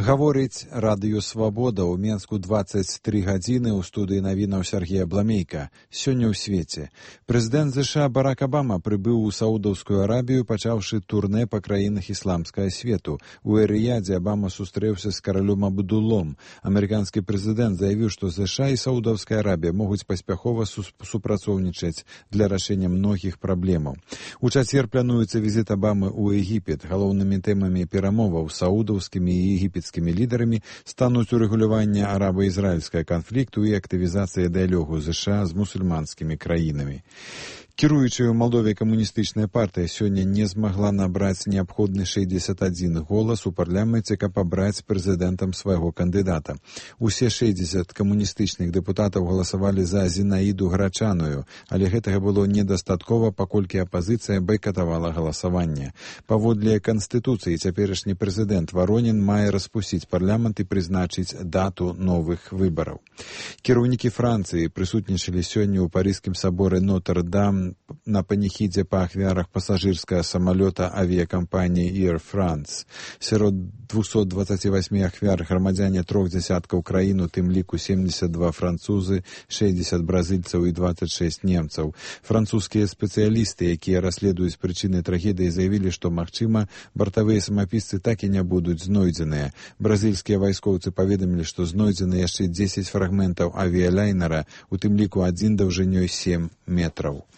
Гаворыць радыё «Свабода». У Менску 23 гадзіны. У студыі навінаў Сергей Абламейка. Сёння ў свеце. Прэзідэнт ЗША Барак Абама прыбыў у Саудаўскую Арабію, пачаўшы турнэ па краінах ісламскага свету. У Эр-Рыядзе Абама сустрэўся з каралём Абдуллом. Амерыканскі прэзідэнт заявіў, што ЗША і Саудаўская Арабія могуць паспяхова супрацоўнічаць для рашэння многіх праблемаў. У чацвер плануецца візіт Абамы ў Егіпет. Галоўнымі тэмамі перамоваў з саудаўскімі і егіпецкімі лідарамі стануць урэгуляванне араба-ізраільскага канфлікту і актывізацыя дыялогу ЗША з мусульманскімі краінамі. Кіруючая ў Малдове камуністычная партыя сёння не змагла набраць неабходны 61 голас у парламенце, каб абраць прэзідэнтам свайго кандыдата. Усе 60 камуністычных дэпутатаў галасавалі за Зінаіду Грачаную, але гэтага было недастаткова, паколькі апазіцыя байкатавала галасаванне. Паводле Канстытуцыі цяперашні прэзідэнт Варонін мае распусціць парламент і прызначыць дату новых выбараў. Кіраўнікі Францыі прысутнічалі сёння ў парыжскім саборы Нотр-Дам на паніхідзе па ахвярах пасажырскага самалёта авіякампаніі Air France. Сярод 228 ахвяр грамадзяне 3 дзясяткаў краін, у тым ліку 72 французы, 60 бразыльцаў і 26 немцаў. Французскія спецыялісты, якія расследуюць прычыны трагедыі, заявілі, што, магчыма, бартавыя самапісцы так і не будуць знойдзеныя. Бразыльскія вайскоўцы паведамілі, што знойдзены яшчэ 10 фрагментаў авіялайнера, у тым ліку адзін даўжынёй 7 метраў.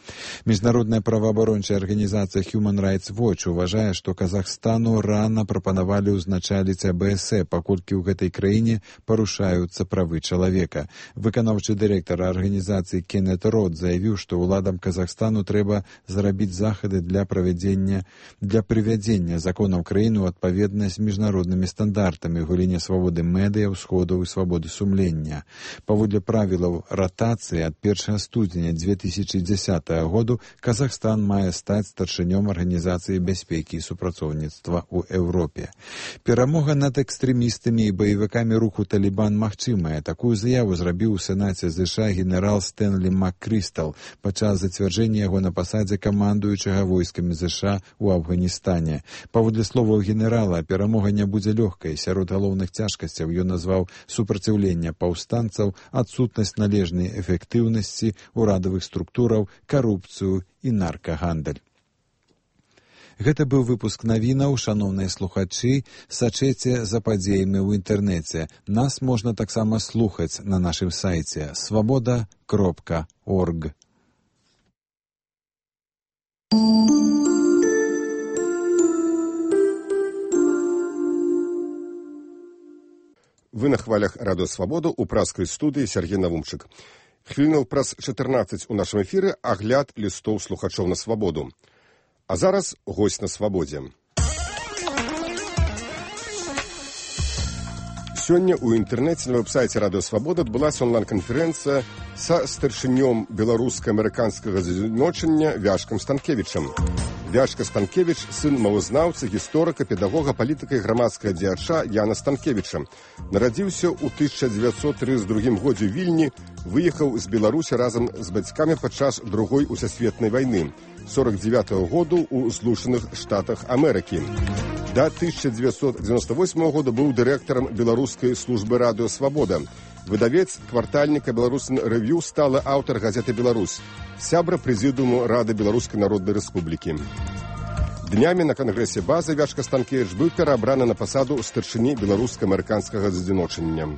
Міжнародная праваабарончая арганізацыя Human Rights Watch уважае, што Казахстану рана прапанавалі ўзначаліць АБС, паколькі ў гэтай краіне парушаюцца правы чалавека. Выканаўчы дырэктар арганізацыі Кеннет Рот заявіў, што ўладам Казахстану трэба зрабіць захады для прывядзення законаў краіны ў адпаведнасць з міжнароднымі стандартамі ў галіне свабоды медыя, ўсходаў і свабоды сумлення. Паводле правілаў ратацыі ад 1 студзеня 2010 году Казахстан мае стаць старшынём Арганізацыі бяспекі і супрацоўніцтва ў Еўропе. Перамога над экстрэмістамі і баевікамі руху Талібан магчымая. Такую заяву зрабіў у Сенаце ЗША генерал Стэнлі МакКрыстал падчас зацвярджэння яго на пасадзе камандуючага войскамі ЗША ў Афганістане. Паводле словаў генерала, перамога не будзе лёгкай. Сярод галоўных цяжкасцяў ён назваў супраціўленне паўстанцаў, адсутнасць належнай эфектыўнасці ўрадавых структураў, карупцыю і наркагандаль. Гэта быў выпуск навінаў. Шаноўныя слухачы, сачэце за падзеямі ў інтэрнэце. Нас можна таксама слухаць на нашым сайце svoboda.org. Вы на хвалях радыё «Свабода» у праскай студыі Сергей Навумчык. Хвілінаў праз 14 у нашым эфіры агляд лістоў слухачоў на свабоду. А зараз госць на свабодзе. Сёння ў інтэрнэце на вэб-сайце радыё «Свабода» адбылася онлайн-канферэнцыя са старшынём беларуска-амерыканскага з'ядночання Вяшкам Станкевічам. Вяшка Станкевіч – сын мовазнаўцы, гісторыка, педагога, палітыка і грамадскага дзеяча Яна Станкевіча. Нарадзіўся ў 1932 годзе ў Вільні, выехаў з Беларусі разам з бацькамі падчас Другой усесветнай вайны, 49-го году ў Злучаных Штатах Амерыкі. Да 1998 года быў дырэктарам беларускай службы радыё «Свабода». Выдавец квартальніка «Беларусін рэв'ю», сталы аўтар газеты «Беларусь», сябра прэзідыуму Рады Беларускай Народнай Рэспублікі. Днямі на кангрэсе базы Вяшка Станкевіч быў пераабраны на пасаду старшыні беларуска-амерыканскага з'ядночання.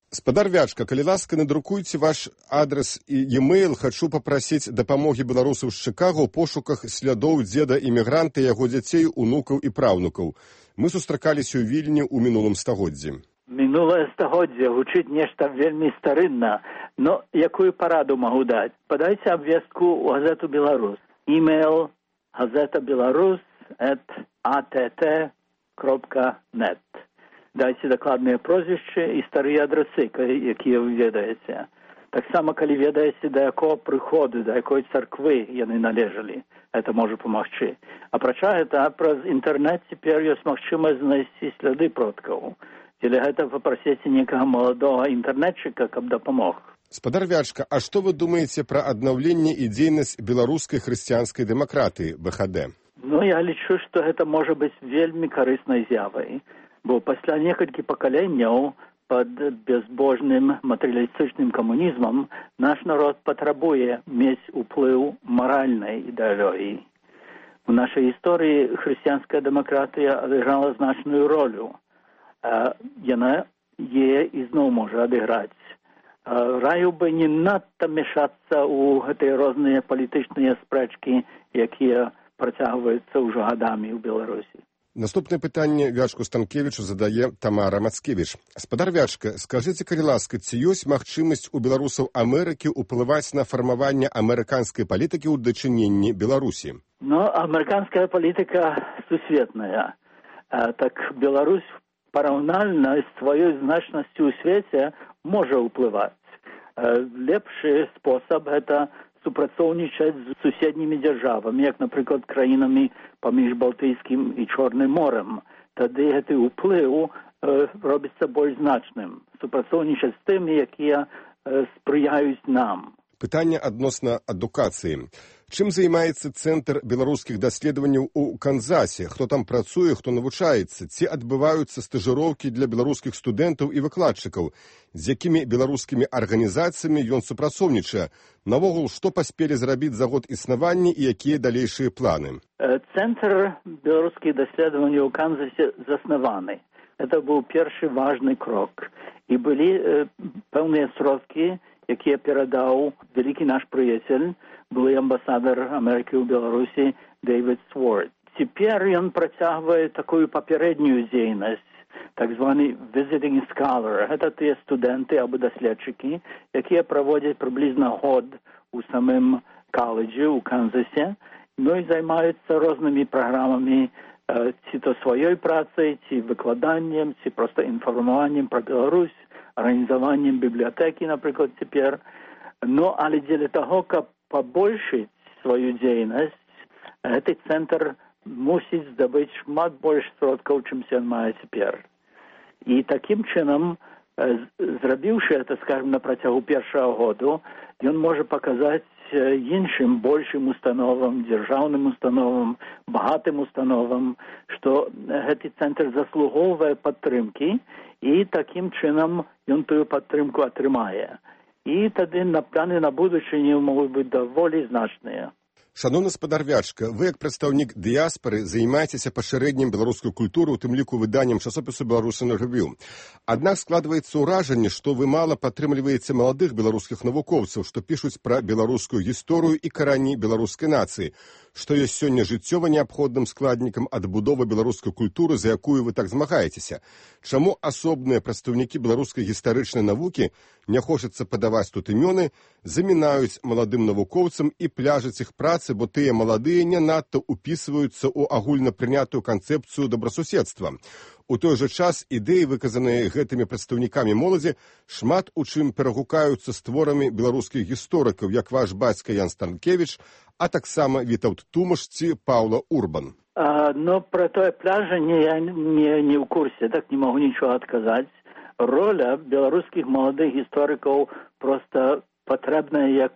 Спадар Вячка, калі ласка, надрукуйце ваш адрес і e-mail. Хачу папрасіць дапамогі беларусаў з Чыкага ў пошуках слядоў дзеда імігранта, яго дзяцей, унукаў і праўнукаў. Мы сустракаліся ў Вільні ў мінулым стагоддзі. Мінулае стагоддзе гучыць нешта вельмі старынна, но якую параду магу даць? Падайце абвестку ў газету «Беларусь». Email газета belarus@att.net. Дайце дакладныя прозвішчы і старыя адрасы, якія вы ведаеце. Таксама, калі ведаеце, да якого прыходу, да якой царквы яны належалі, гэта можа памагчы. Апрача гэта, праз інтэрнэт цяпер ёсць магчымасць знайсці сляды продкаў. Дзеля гэта папрасіце некага маладога інтэрнетчыка, каб дапамог. Спадар Вячка, а што вы думаеце пра аднаўленне і дзейнасць беларускай хрысціянскай дэмакратыі, БХД? Ну, я лічу, што гэта можа быць вельмі карыснай з'явай, бо пасля некалькі пакаленняў пад безбожным матэрыялістычным камунізмам наш народ патрабуе мець уплыў маральнай ідэалогіі. У нашай гісторыі хрысціянская дэмакратыя адыграла значную ролю. Яна ізноў можа адыграць. Раю бы не надта мяшацца ў гэтыя розныя палітычныя спрэчкі, якія працягваюцца ўжо гадамі ў Беларусі. Наступнае пытанне Вячку Станкевічу задае Тамара Мацкевіч. Спадар Вячка, скажыце, калі ласка, ці ёсць магчымасць у беларусаў Амерыкі ўплываць на фармаванне амерыканскай палітыкі ў дачыненні Беларусі? Ну, амерыканская палітыка сусветная. Так Беларусь параўнальна з сваёй значнасцю ў свеце можа ўплываць. Лепшы спосаб гэта супрацоўнічаць з суседнімі дзяржавамі, як, напрыклад, краінамі паміж Балтыйскім і Чорным морем. Тады гэты ўплыў робіцца больш значным. Супрацоўнічаць з тымі, якія спрыяюць нам. Пытанне адносна адукацыі. Чым займаецца Цэнтр беларускіх даследаванняў у Канзасе? Хто там працуе, хто навучаецца? Ці адбываюцца стажыроўкі для беларускіх студэнтаў і выкладчыкаў? З якімі беларускімі арганізацыямі ён супрацоўнічае? Навогул, што паспелі зрабіць за год існавання і якія далейшыя планы? Цэнтр беларускіх даследаванняў у Канзасе заснаваны. Это быў першы важны крок. І былі пэўныя сродкі, якія перадаў вялікі наш прыяцель, былы амбасадар Амерыкі ў Беларусі Дэвід Сворд. Цяпер ён працягвае такую папярэднюю дзейнасць, так званы visiting scholar. Гэта тыя студэнты або даследчыкі, якія праводзяць прыблізна год у самым каледжы ў Канзасе, ну і займаюцца рознымі праграмамі, ці то сваёй працай, ці выкладаннем, ці проста інфармаваннем пра Беларусь, арганізаваннем бібліятэкі, напрыклад, цяпер. Ну, але дзеля таго, каб пабольшыць сваю дзейнасць, гэты цэнтр мусіць здабыць шмат больш сродкаў, чым ён мае цяпер. І такім чынам, зрабіўшы гэта, скажем, на працягу першага году, ён можа паказаць іншым большым установам, дзяржаўным установам, багатым установам, што гэты цэнтр заслугоўвае падтрымкі, і такім чынам ён тую падтрымку атрымае. І тады планы на будучыню могуць быць даволі значныя. Шановны спадар Вячка, вы, як прадстаўнік дыяспары, займаецеся пашырэннем беларускай культуры, у тым ліку выданнем часопісу «Беларусі на рэвю». Аднак складваецца ўражанне, што вы мала падтрымліваеце маладых беларускіх навукоўцаў, што пішуць пра беларускую гісторыю і карані беларускай нацыі, што ёсць сёння жыццёва неабходным складнікам адбудовы беларускай культуры, за якую вы так змагаецеся. Чаму асобныя прадстаўнікі беларускай гістарычнай навукі, не хочацца падаваць тут імёны, замінаюць маладым навукоўцам і пляжаць іх працы, бо тыя маладыя не надта ўпісваюцца ў агульнапрынятую канцэпцыю добрасуседства. У той жа час ідэі, выказаныя гэтымі прадстаўнікамі моладзі, шмат у чым перагукаюцца з творамі беларускіх гісторыкаў, як ваш бацька Ян Станкевіч, а таксама Вітаўт Тумаш ці Паўла Урбан. Но про тое пляжанне я не ў курсе, так не могу нічога адказаць. Роля беларускіх маладых гісторыкаў проста патрэбная як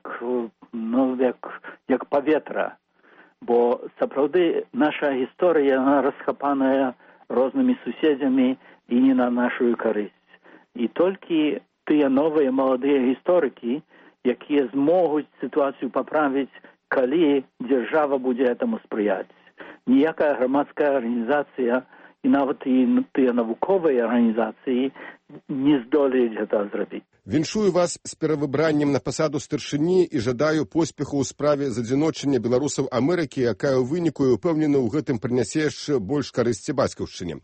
паветра, бо сапраўды наша гісторыя, яна расхапаная рознымі суседзямі і не на нашу карысць. І толькі тыя новыя маладыя гісторыкі, якія змогуць сітуацыю паправіць, калі дзяржава будзе этаму спрыяць. Ніякая грамадская арганізацыя і нават і тыя навуковыя арганізацыі не здолеюць гэта зрабіць. Віншую вас з перавыбраннем на пасаду старшыні і жадаю поспеху ў справе задзіночання беларусаў Амерыкі, якая ў выніку і ўпэўнена ў гэтым прынясе яшчэ больш карысці бацькаўшчыне.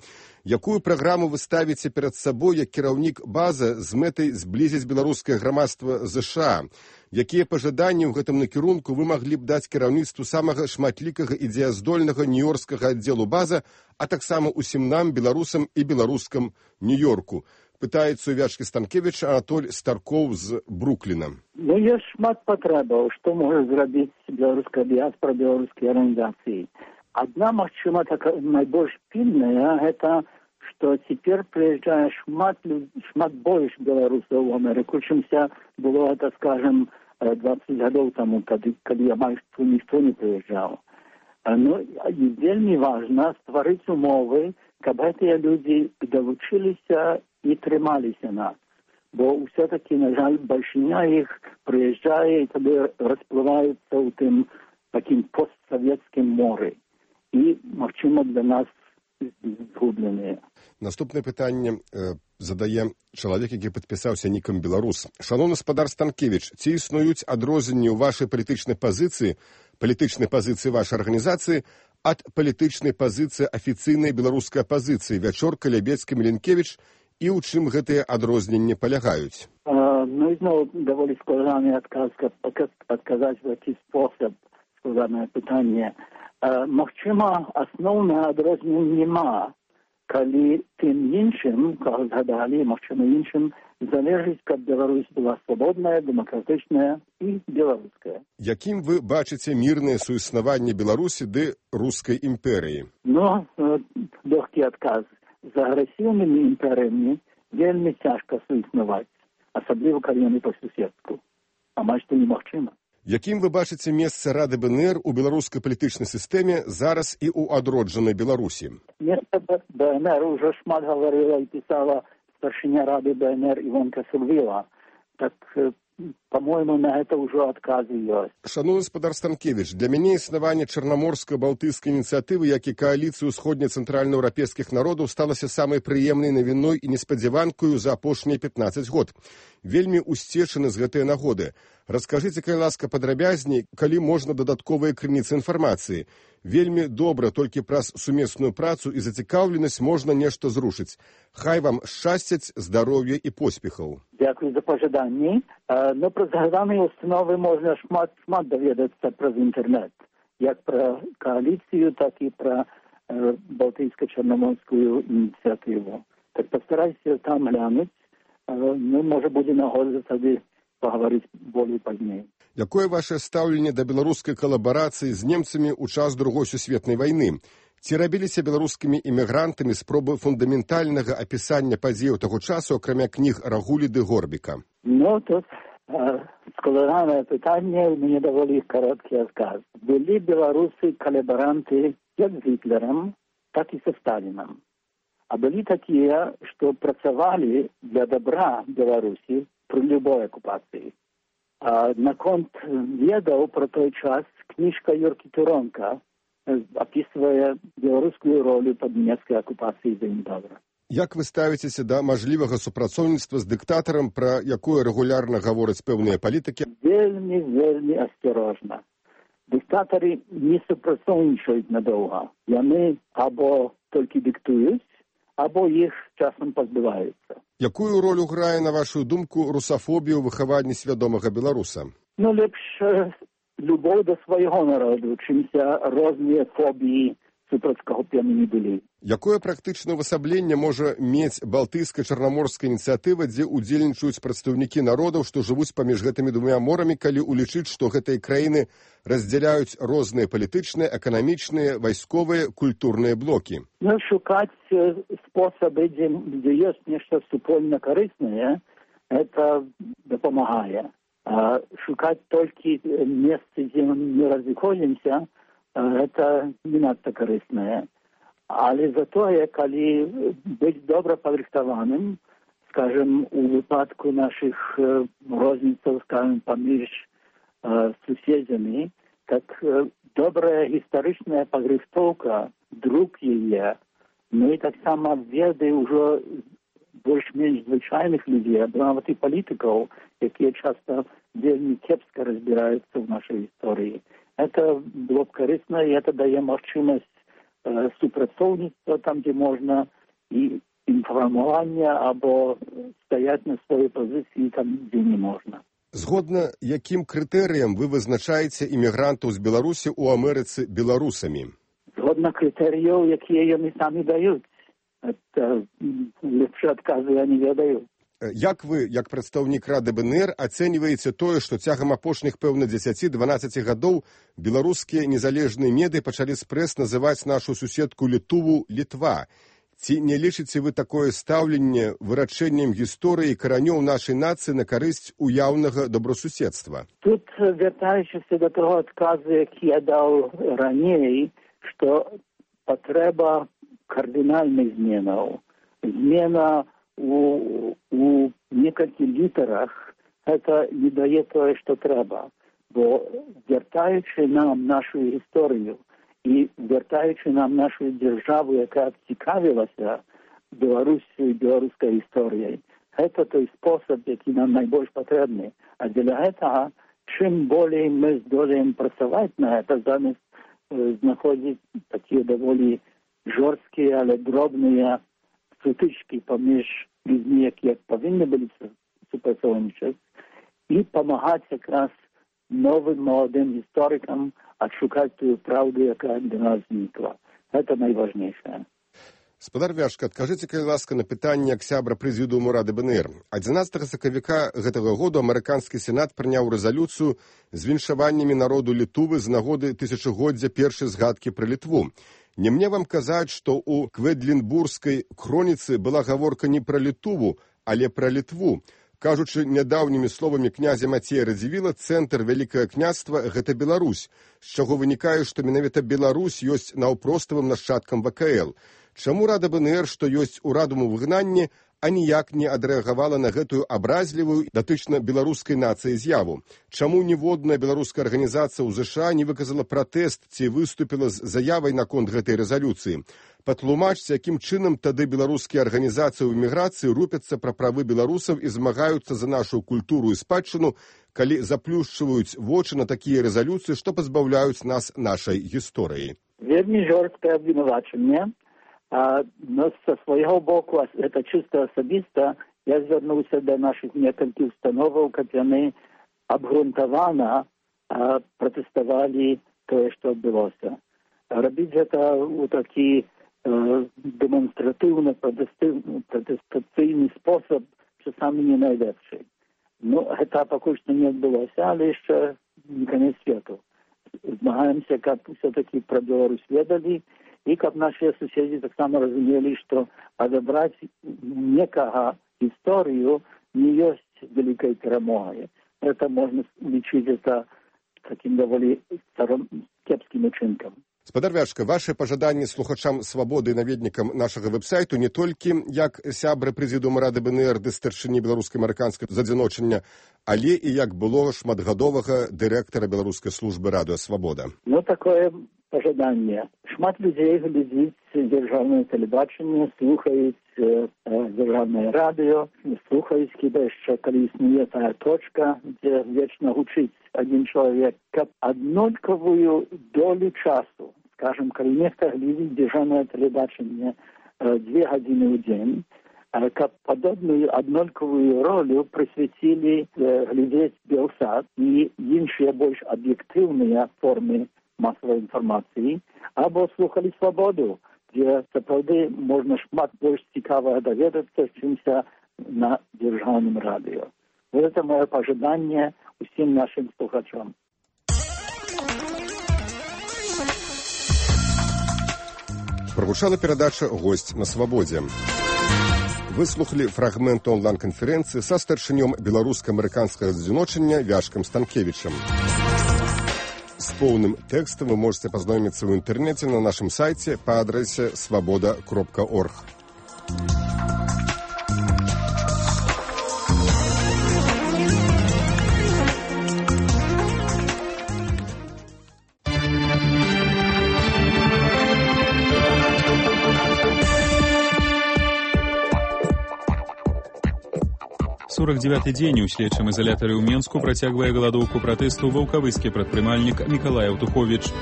Якую праграму вы ставіце перад сабой як кіраўнік базы з мэтай зблізіць беларускае грамадства ЗША? Якія пажаданні ў гэтым накірунку вы маглі б даць кіраўніцтву самага шматлікага і дзеяздольнага нью-йоркскага аддзелу база, а таксама усім нам, беларусам і беларускам Нью-Йорку? Пытаецца у Вячкі Станкевіча Анатоль Старкоў з Брукліна. Ну, ёсць шмат патрэбаў, што можа зрабіць беларуская дыяспара, беларускія арганізацыі. Адна, магчыма, найбольш пільная, гэта, што цяпер прыязджае шмат больш беларусаў у Амерыку, чымся было гэта, скажем, 20 гадоў таму, калі амаль ніхто не прыязджаў. Ну, вельмі важна стварыць умовы, каб гэтыя людзі далучыліся і трымаліся нас. Бо ўсё-таки, на жаль, бальшыня іх прыязджае і тады расплываюцца ў тым такім постсавецкім моры. І, магчыма, для нас згубленыя. Наступнае пытанне задае чалавек, які падпісаўся нікам беларус. Шановны спадар Станкевіч, ці існуюць адрозненні ў вашай палітычнай пазіцыі вашай арганізацыі ад палітычнай пазіцыі афіцыйнай беларускай апазіцыі Вячорка, Лябецкі, Міленкевіч, і ў чым гэтыя адрозненні палягаюць? Ну і зноў даволі складаны адказ, адказаць в такі спосаб, складанае пытанне. Магчыма, асноўнага адрознення няма, калі тым іншым, каго згадалі, магчыма, іншым, залежыць, каб Беларусь была свабодная, дэмакратычная і беларуская. Якім вы бачыце мірнае суіснаванне Беларусі ды рускай імперыі? Ну, лёгкі адказ. За агрэсіўнымі імперыямі вельмі цяжка суіснаваць, асабліва калі яны па суседству. Амаль што немагчыма. Якім вы бачыце месца Рады БНР у беларускай палітычнай сістэме зараз і ў адроджанай Беларусі? Месца БНР ўжо шмат гаварыла і пісала старшыня Рады БНР Івонка Сылвіла. Так, по-моему, на гэта ўжо адказы ёсць. Шановны спадар Станкевіч, для мяне існаванне чарнаморска-балтыйскай ініцыятывы, як і кааліцыі ўсходне-цэнтральнаеўрапейскіх народаў сталася самай прыемнай навіной і неспадзяванкаю за апошнія 15 год. Вельмі усцешаны з гэтай нагоды. Раскажыце, калі ласка, падрабязней, калі можна дадатковыя крыніцы інфармацыі. Вельмі добра, толькі праз сумесную працу і зацікаўленасць можна нешта зрушыць. Хай вам шчасцяць, здароўя і поспехаў. Дзякуй за пажаданні. Ну, пра згаданыя установы можна шмат даведацца праз інтэрнэт. Як пра кааліцыю, так і пра балтыйска-чарнаморскую ініцыятыву. Так пастарайся там глянуць. Ну, можа, будзе нагода тады пагаварыць болей пазней. Якое ваше стаўленне да беларускай калабарацыі з немцамі ў час Другой сусветнай вайны? Ці рабіліся беларускімі імігрантамі спробы фундаментальнага апісання падзеяў таго часу, акрамя кніг Рагулі ды Горбіка? Ну, тут складанае пытанне, у мяне даволі кароткі адказ. Былі беларусы калабаранты як з Гітлерам, так і са Сталінам. А былі такія, што працавалі для добра Беларусі пры любой акупацыі. Наконт ведаў пра той час кніжка Юркі Туронка апісвае беларускую ролю пад нямецкай акупацыяй вельмі добра. Як вы ставіцеся да мажлівага супрацоўніцтва з дыктатарам, пра якое рэгулярна гавораць пэўныя палітыкі? Вельмі асцярожна. Дыктатары не супрацоўнічаюць надоўга. Яны або толькі дыктуюць, або іх часам пазбываюцца. Якую ролю грае, на вашу думку, русафобія ў выхаванні свядомага беларуса? Ну, лепш любоў да свайго народу, чымся розныя фобіі супраць каго б яны не былі. Якое практычнае ўвасабленне можа мець балтыйска-чарнаморская ініцыятыва, дзе ўдзельнічаюць прадстаўнікі народаў, што жывуць паміж гэтымі двума морамі, калі улічыць, што гэтыя краіны раздзяляюць розныя палітычныя, эканамічныя, вайсковыя, культурныя блокі? Ну, шукаць спосабы, дзе ёсць нешта супольна карыснае, это дапамагае. Шукаць толькі месцы, дзе мы не разыходзімся, это не надта карыснае. Але затое, калі быць добра падрыхтаваным, скажем, у выпадку нашых розніцаў, скажем, паміж суседзямі, так добрая гістарычная падрыхтоўка, друк яе, ну і таксама веды ўжо больш-менш звычайных людзей, нават і палітыкаў, якія часта вельмі кепска разбіраюцца ў нашай гісторыі. Это было б карысна, і это дае магчымасць супрацоўніцтва там, дзе можна, і інфармавання або стаяць на сваёй пазіцыі там, дзе не можна. Згодна якім крытэрыям вы вызначаеце імігрантаў з Беларусі ў Амерыцы беларусамі? Згодна крытэрыяў, якія яны самі даюць. Это лепшы адказы я не ведаю. Як вы, як прадстаўнік Рады БНР, ацэньваеце тое, што цягам апошніх, пэўна, 10-12 гадоў беларускія незалежныя медыі пачалі спрэс называць нашу суседку Літуву Літва? Ці не лічыце вы такое стаўленне вырашэннем гісторыі каранёў нашай нацыі на карысць уяўнага добросуседства? Тут, вяртаючыся до того адказу, які я даў раней, што патрэба кардынальных зменаў. Змена у некалькіх літарах гэта не дае тое, што трэба. Бо вяртаючы нам нашу гісторыю і вяртаючы нам нашу дзяржаву, якая цікавілася Беларусью і беларускай гісторыяй, гэта той спосаб, які нам найбольш патрэбны. А для гэтага, чым болей мы здолеем працаваць на гэта, замест знаходзіць такія даволі жорсткія, але дробныя сутычкі паміж людзьмі, якія павінны былі супрацоўнічаць, і памагаць якраз новым маладым гісторыкам адшукаць тую праўду, якая для нас знікла. Гэта найважнейшае. Спадар Вяшка, адкажыце, калі ласка, на пытанне як сябра прэзідыуму Рады БНР. 11 сакавіка гэтага году амерыканскі сенат прыняў рэзалюцыю з віншаваннямі народу Літувы з нагоды тысячагоддзя першай згадкі пра Літву. Не мне вам казаць, што ў Кведлінбургскай хроніцы была гаворка не пра Літуву, але пра Літву. Кажучы нядаўнімі словамі князя Мацея Радзівіла, цэнтр Вялікае княства – гэта Беларусь, з чаго вынікае, што менавіта Беларусь ёсць наўпроставым нашчадкам ВКЛ. Чаму Рада БНР, што ёсць урадам у выгнанні, а ніяк не адрэагавала на гэтую абразлівую датычна беларускай нацыі з'яву? Чаму ніводная беларуская арганізацыя ў ЗША не выказала пратэст ці выступіла з заявай наконт гэтай рэзалюцыі? Патлумачце, якім чынам тады беларускія арганізацыі ў эміграцыі рупяцца пра правы беларусаў і змагаюцца за нашу культуру і спадчыну, калі заплюшчваюць вочы на такія рэзалюцыі, што пазбаўляюць нас нашай гісторыі? Вельмі жорсткае абвінавачанне. Но со свайго боку, это чисто асабіста, я звярнуўся да нашых некалькіх установаў, каб яны абгрунтавана пратэставалі тое, што адбылося. Рабіць гэта ў такі дэманстратыўна пратэстацыйны спосаб часамі не найлепшы. Ну, гэта пакуль што не адбылося, але яшчэ не канец свету. Змагаемся, каб все-таки пра Беларусь ведалі, і каб нашыя суседзі таксама разумелі, што адабраць некага гісторыю не ёсць вялікай перамогай. Это можна лічыць это таким даволі кепскім учынкам. Спадар Вяшка, ваше пажаданні слухачам свабоды і наведнікам нашага вэб-сайту не толькі як сябры прэзідыума Рады БНР ды старшыні беларуска-амерыканскага задзіночання, але і як было шматгадовага дырэктара беларускай службы Радыё Свабода. Ну, такое пажаданне. Шмат людзей глядзіць дзяржаўнае тэлебачанне, слухаюць дзяржаўнае радыё, слухаюць хіба яшчэ, калі існуе тая точка, дзе вечна гучыць адзін чалавек, каб аднолькавую долю часу, скажем, калі нехта глядзіць дзяржаўнае тэлебачанне 2 гадзіны ў дзень, каб падобную аднолькавую ролю прысвяцілі глядзець Белсат і іншыя больш аб'ектыўныя формы масавай інфармацыі, або слухалі Свабоду, дзе сапраўды можна шмат больш цікавага даведацца, чымся на дзяржаўным радыё. Вот это мое пожаданне усім нашим слухачам. Прогучала перадача «Гость на свабодзе». Вы слухали фрагмент онлайн-канферэнцыі са старшынём беларуска-амерыканскага адзіночання Вяшкам Станкевічам. С поўным тэкстам вы можете пазнаёміцца ў інтэрнэце на нашым сайце па адрэсе svaboda.org. Сорок 49-й дзень у следчым изолятары ў Менску працягвае галадоўку пратэсту ваўкавыскі прадпрымальнік Мікалай Аўтуховіч.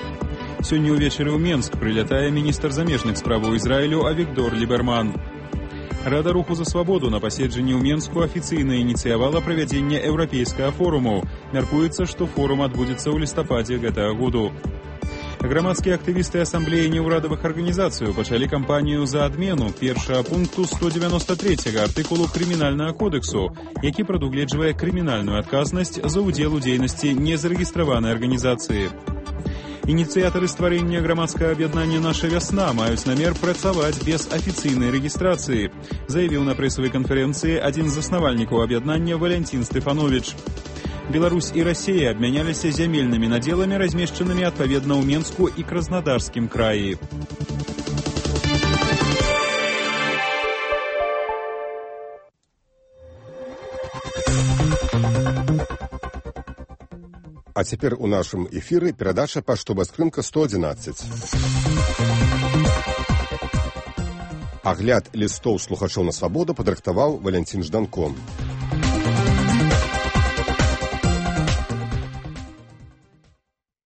Сёння ўвечары ў Менск прылятае міністр замежных справаў Ізраілю Авігдор Ліберман. Рада руху за свабоду на паседжанні ў Менску афіцыйна ініцыявала правядзенне еўрапейскага форуму. Мяркуецца, што форум адбудзецца ў лістападзе гэтага году. Грамадскія актывісты асамблеі неўрадавых арганізацый пачалі кампанію за адмену першага пункту 193 артыкулу крымінальнага кодэксу, які прадугледжвае крымінальную адказнасць за ўдзел у дзейнасці незарэгістраванай арганізацыі. Ініцыятары стварэння грамадскага аб'яднання «Наша вясна» маюць намер працаваць без афіцыйнай рэгістрацыі, заявіў на прэсавай канферэнцыі адзін з заснавальнікаў аб'яднання Валянцін Стэфановіч. Беларусь і Расія абмяняліся зямельнымі надзеламі, размешчанымі адпаведна ў Менску і Краснодарскім краі. А цяпер у нашым эфіры перадача «Паштовая скрынка 111». Агляд лістоў слухачоў на свабоду падрыхтаваў Валянцін Жданко.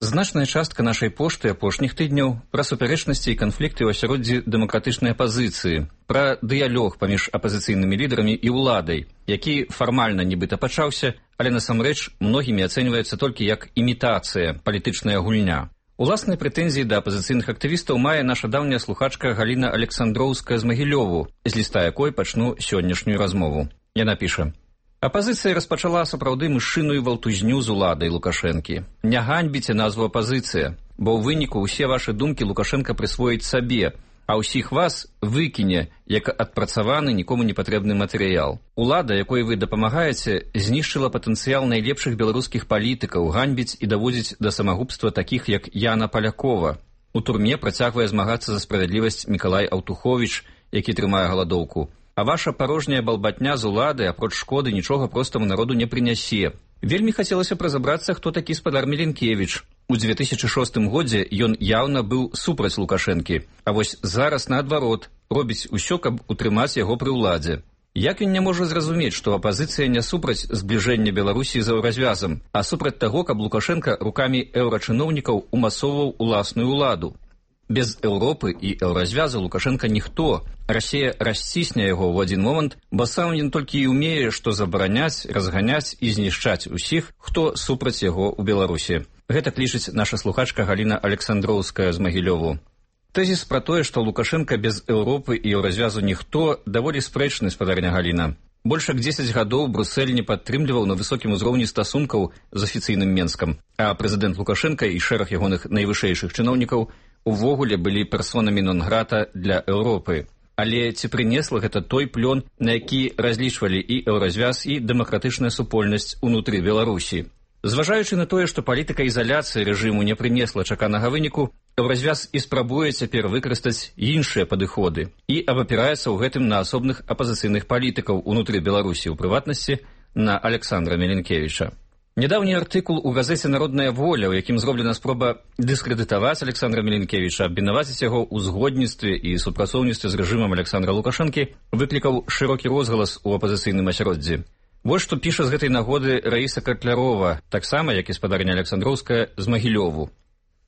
Значная частка нашай пошты апошніх тыдняў пра супярэчнасці і канфлікты ў асяроддзі дэмакратычнай апазіцыі, пра дыялог паміж апазіцыйнымі лідарамі і ўладай, які фармальна нібыта пачаўся, але насамрэч многімі ацэньваецца толькі як імітацыя, палітычная гульня. Уласныя прэтэнзіі да апазіцыйных актывістаў мае наша даўняя слухачка Галіна Александроўская з Магілёву, з ліста якой пачну сённяшнюю размову. Яна піша: «Апазіцыя распачала сапраўды мышыную валтузню з уладай Лукашэнкі. Не ганьбіце назву апазіцыя, бо ў выніку ўсе вашы думкі Лукашэнка прысвоіць сабе, а ўсіх вас выкіне, як адпрацаваны нікому не патрэбны матэрыял. Улада, якой вы дапамагаеце, знішчыла патэнцыял найлепшых беларускіх палітыкаў, ганьбіць і даводзіць да самагубства такіх, як Яна Палякова. У турме працягвае змагацца за справядлівасць Мікалай Аўтуховіч, які трымае галадоўку. А ваша парожняя балбатня з улады, апроч шкоды, нічога простаму народу не прынясе. Вельмі хацелася б разабрацца, хто такі спадар Меленкевіч. У 2006 годзе ён яўна быў супраць Лукашэнкі, а вось зараз, наадварот, робіць усё, каб утрымаць яго пры ўладзе. Як ён не можа зразумець, што апазіцыя не супраць збліжэння Беларусі з еўразвязам, а супраць таго, каб Лукашэнка рукамі еўрачыноўнікаў умасоўваў уласную ўладу? Без Еўропы і еўразвязу Лукашэнка ніхто. Расія расцісне яго ў адзін момант, бо сам ён толькі і ўмее, што забараняць, разганяць і знішчаць усіх, хто супраць яго ў Беларусі. Гэта лічыць наша слухачка Галіна Александроўская з Магілёву. Тэзіс пра тое, што Лукашэнка без Еўропы і еўразвязу ніхто, даволі спрэчны, спадарня Галіна. Больш як 10 гадоў Брусэль не падтрымліваў на высокім узроўні стасункаў з афіцыйным Менскам, а прэзідэнт Лукашэнка і шэраг ягоных найвышэйшых чыноўнікаў увогуле былі персонамі нон-грата для Еўропы. Але ці прынесла гэта той плён, на які разлічвалі і еўразвяз, і дэмакратычная супольнасць унутры Беларусі? Зважаючы на тое, што палітыка ізаляцыі рэжыму не прынесла чаканага выніку, еўразвяз і спрабуе цяпер выкарыстаць іншыя падыходы і абапіраецца ў гэтым на асобных апазіцыйных палітыкаў унутры Беларусі, у прыватнасці на Александра Меленкевіча. Нядаўні артыкул у газеце «Народная воля», у якім зроблена спроба дыскрэдытаваць Александра Меленкевіча, абвінаваціць яго ў згодніцтве і супрацоўніцтве з рэжымам Александра Лукашэнкі, выклікаў шырокі розгалас у апазіцыйным асяроддзі. Вось што піша з гэтай нагоды Раіса Котлярова, таксама, як і спадарня Александроўская, з Магілёву.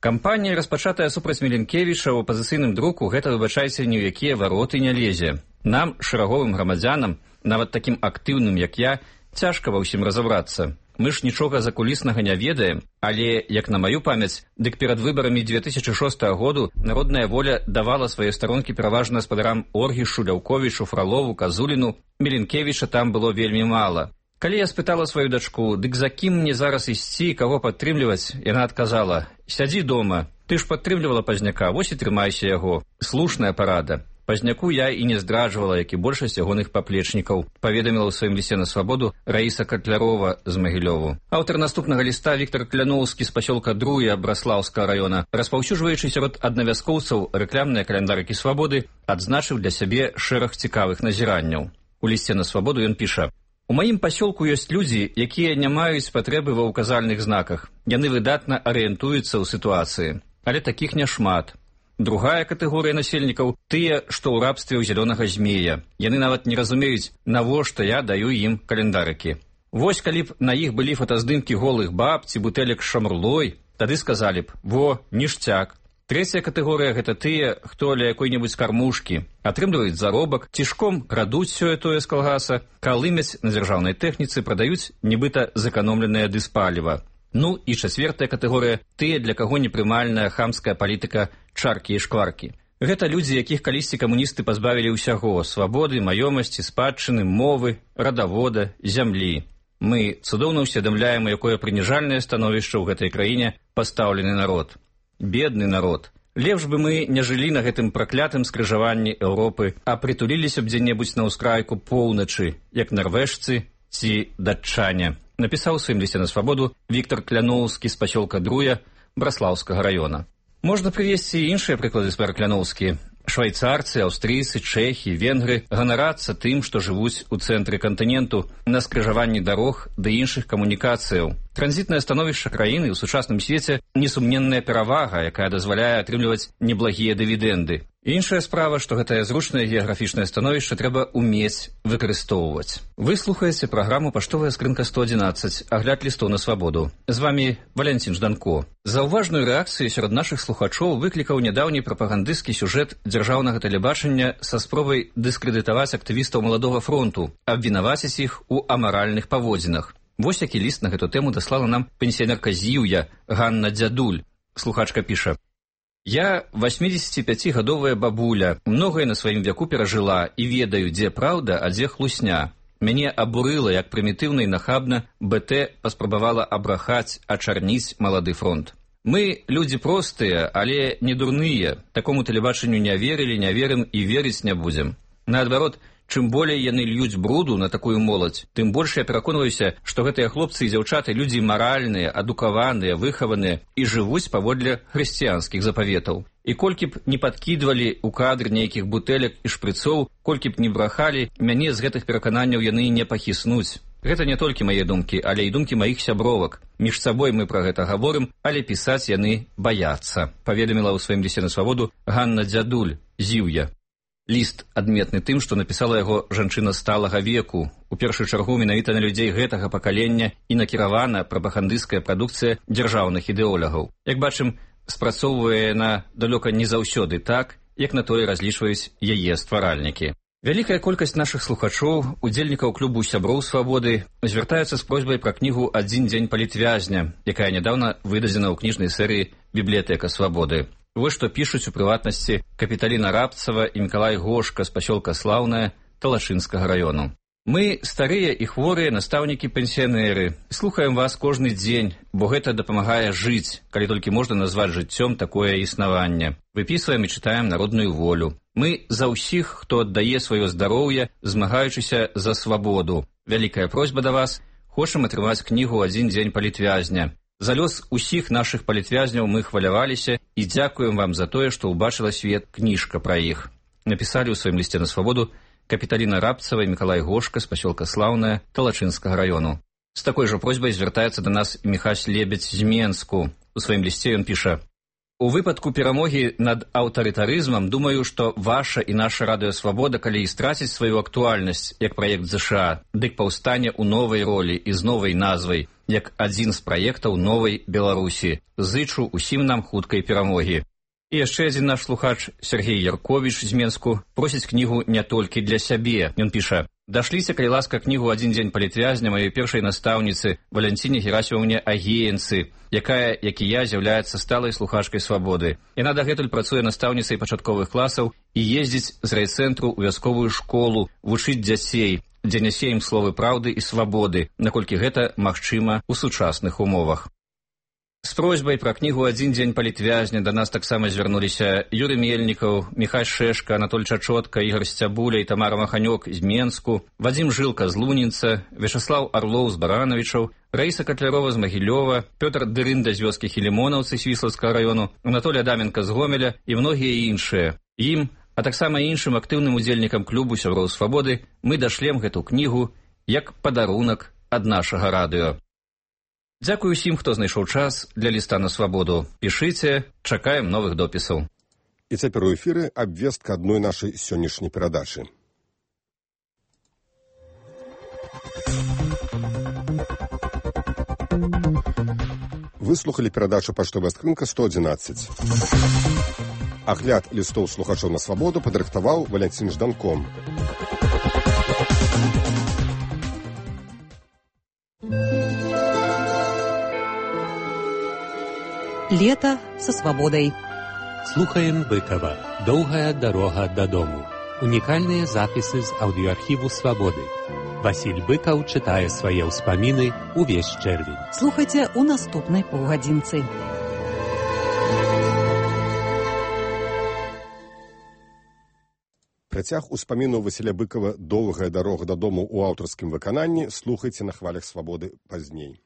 Кампанія, распачатая супраць Меленкевіча ў апазіцыйным друку, гэта, выбачайце, ні ў якія вароты не лезе. Нам, шэраговым грамадзянам, нават такім актыўным, як я, цяжка ва ўсім разабрацца. Мы ж нічога закуліснага не ведаем, але, як на маю памяць, дык перад выбарамі 2006 году Народная воля давала свае старонкі пераважна спадарам Оргішу, Ляўковічу, Фралову, Казуліну. Меленкевіча там было вельмі мала. Калі я спытала сваю дачку, дык за кім мне зараз ісці, каго падтрымліваць, яна адказала: «Сядзі дома, ты ж падтрымлівала Пазняка, вось і трымайся яго. Слушная парада». Пазняку я і не здраджвала, як і большасць ягоных паплечнікаў, паведаміла ў сваім лісце на свабоду Раіса Котлярова з Магілёву. Аўтар наступнага ліста Віктар Кляноўскі з пасёлка Друя Браслаўскага раёна, распаўсюджваючы сярод аднавязкоўцаў рэкламныя каляндарыкі свабоды, адзначыў для сябе шэраг цікавых назіранняў. У лісце на свабоду ён піша: «У маім пасёлку ёсць людзі, якія не маюць патрэбы ва ўказальных знаках. Яны выдатна арыентуюцца ў сітуацыі. Але такіх няшмат. Другая катэгорыя насельнікаў – тыя, што ў рабстве ў зялёнага змея. Яны нават не разумеюць, навошта я даю ім календарыкі. Вось калі б на іх былі фотаздымкі голых баб ці бутэлек з шамрлой, тады сказалі б: во, ніштяк. Трэцяя катэгорыя – гэта тыя, хто ля якой-небудзь кармушкі, атрымліваюць заробак, цішком крадуць сёе-тое з калгаса, калымяць на дзяржаўнай тэхніцы, прадаюць нібыта зэканомленае дыспаліва. Ну і чацвертая катэгорыя – тыя, для каго непрымальная хамская палітыка чаркі і шкваркі. Гэта людзі, якіх калісьці камуністы пазбавілі ўсяго – свабоды, маёмасці, спадчыны, мовы, радавода, зямлі. Мы цудоўна ўсведамляем, у якое прыніжальнае становішча ў гэтай краіне пастаўлены народ. бедны народ. Лепш бы мы не жылі на гэтым праклятым скрыжаванні Еўропы, а прытуліліся б дзе-небудзь на ўскрайку поўначы, як нарвежцы ці датчане. Напісаў у сваім лісце на свабоду Віктор Кляноўскі з пасёлка Друя Браслаўскага раёна. Можна прывесці і іншыя прыклады з Кляноўскі. Швайцарцы, аўстрыйцы, чэхі, венгры ганарацца тым, што жывуць у цэнтры кантыненту на скрыжаванні дарог ды іншых камунікацыяў. Транзітнае становішча краіны ў сучасным свеце несумненная перавага, якая дазваляе атрымліваць неблагія дывідэнды. Іншая справа, што гэтае зручнае геаграфічнае становішча трэба умець выкарыстоўваць. Вы слухаеце праграму «Паштовая скрынка 111», агляд лістоў на свабоду. З вамі Валянцін Жданко. Заўважную рэакцыю сярод нашых слухачоў выклікаў нядаўні прапагандысцкі сюжэт дзяржаўнага тэлебачання са спробай дыскрэдытаваць актывістаў Маладога фронту, абвінаваціць іх у амаральных паводзінах. Вось які ліст на гэту тэму даслала нам пенсіянерка Зіўя Ганна Дзядуль. Слухачка піша: «Я 85-гадовая бабуля, многае на сваім вяку перажыла і ведаю, дзе праўда, а дзе хлусня. Мяне абурыла, як прымітыўна і нахабна БТ паспрабавала абрахаць, ачарніць Малады фронт. Мы людзі простыя, але не дурныя. Такому тэлебачанню не верылі, не верым і верыць не будзем. Наадварот, чым болей яны льюць бруду на такую моладзь, тым больш я пераконваюся, што гэтыя хлопцы і дзяўчаты людзі маральныя, адукаваныя, выхаваныя і жывуць паводле хрысціянскіх запаветаў. І колькі б не падкідвалі ў кадр нейкіх бутэлек і шпрыцоў, колькі б не брахалі, мяне з гэтых перакананняў яны не пахіснуць. Гэта не толькі мае думкі, але і думкі маіх сябровак. Між сабой мы пра гэта гаворым, але пісаць яны баяцца», паведаміла ў сваім лісце на свабоду Ганна Дзядуль, Зіўя. Ліст адметны тым, што напісала яго жанчына сталага веку. У першую чаргу менавіта на людзей гэтага пакалення і накіравана прапагандысцкая прадукцыя дзяржаўных ідэолягаў. Як бачым, спрацоўвае яна далёка не заўсёды так, як на тое разлічваюць яе стваральнікі. Вялікая колькасць нашых слухачоў, удзельнікаў клубу сяброў свабоды, звяртаюцца з просьбай пра кнігу «Адзін дзень палітвязня», якая нядаўна выдадзена ў кніжнай серыі «Бібліятэка свабоды». Вось што пішуць у прыватнасці Капіталіна Рабцава і Мікалай Гошка з пасёлка Слаўнае Талашынскага раёну. «Мы, старыя і хворыя настаўнікі-пенсіянеры, слухаем вас кожны дзень, бо гэта дапамагае жыць, калі толькі можна назваць жыццём такое існаванне. Выпісваем і чытаем народную волю. Мы за ўсіх, хто аддае сваё здароўе, змагаючыся за свабоду. Вялікая просьба да вас, хочам атрымаць кнігу «Адзін дзень палітвязня». За лёс усіх нашых палітвязняў мы хваляваліся і дзякуем вам за тое, што ўбачыла свет кніжка пра іх», напісалі ў сваім лісце на свабоду Капіталіна Рабцава і Мікалай Гошка з пасёлка Слаўнае Талачынскага раёну. З такой жа просьбай звяртаецца да нас Міхась Лебедь з Менску. У сваім лісце ён піша: «У выпадку перамогі над аўтарытарызмам думаю, што ваша і наша радыёсвабода, калі і страціць сваю актуальнасць як праект ЗША, дык паўстане ў новай ролі і з новай назвай, як адзін з праектаў новай Беларусі. Зычу усім нам хуткай перамогі». І яшчэ адзін наш слухач, Сергей Ярковіч з Менску, просіць кнігу не толькі для сябе. Ён піша: «Дашліце, калі ласка, кнігу «Адзін дзень палітвязня» маёй першай настаўніцы Валянціне Герасімаўне Агеенцы, якая, як і я, з'яўляецца сталай слухачкай свабоды. Яна дагэтуль працуе настаўніцай пачатковых класаў і ездзіць з райцэнтру ў вясковую школу, вучыць дзяцей, дзе нясе ім словы праўды і свабоды, наколькі гэта магчыма ў сучасных умовах». З просьбай пра кнігу «Адзін дзень палітвязня» да нас таксама звярнуліся Юрый Мельнікаў, Міхай Шэшка, Анатоль Чачотка, Ігор Сцябуля і Тамара Маханёк з Менску, Вадзім Жылка з Лунінца, Вячаслаў Арлоў з Баранавічаў, Раіса Катлярова з Магілёва, Пётр Дырында з вёскі Хілімонаўцы Свіслаўскага раёну, Анатолій Адаменка з Гомеля і многія іншыя. Ім, а таксама іншым актыўным удзельнікам клубу сяброў свабоды мы дашлем гэту кнігу як падарунак ад нашага радыё. Дзякую усім, хто знайшоў час для ліста на свабоду. Пішыце, чакаем новых допісаў. І цяпер у эфіры абвестка адной нашай сённяшняй перадачы. Вы слухалі перадачу «Паштовая скрынка 111». Агляд лістоў слухачоў на свабоду падрыхтаваў Валянцін Жданко. Лето со свободой. Слухаем Быкова. Доўгая дарога дадому. Унікальныя запісы з аўдыоархіву «Свабоды». Васіль Быкаў чытае свае ўспаміны ўвесь чэрвень. Слухайце ў наступнай паўгадзінцы. Працяг успамінаў Васіля Быкава «Доўгая дарога дадому» ў аўтарскім выкананні слухайце на хвалях свабоды пазней.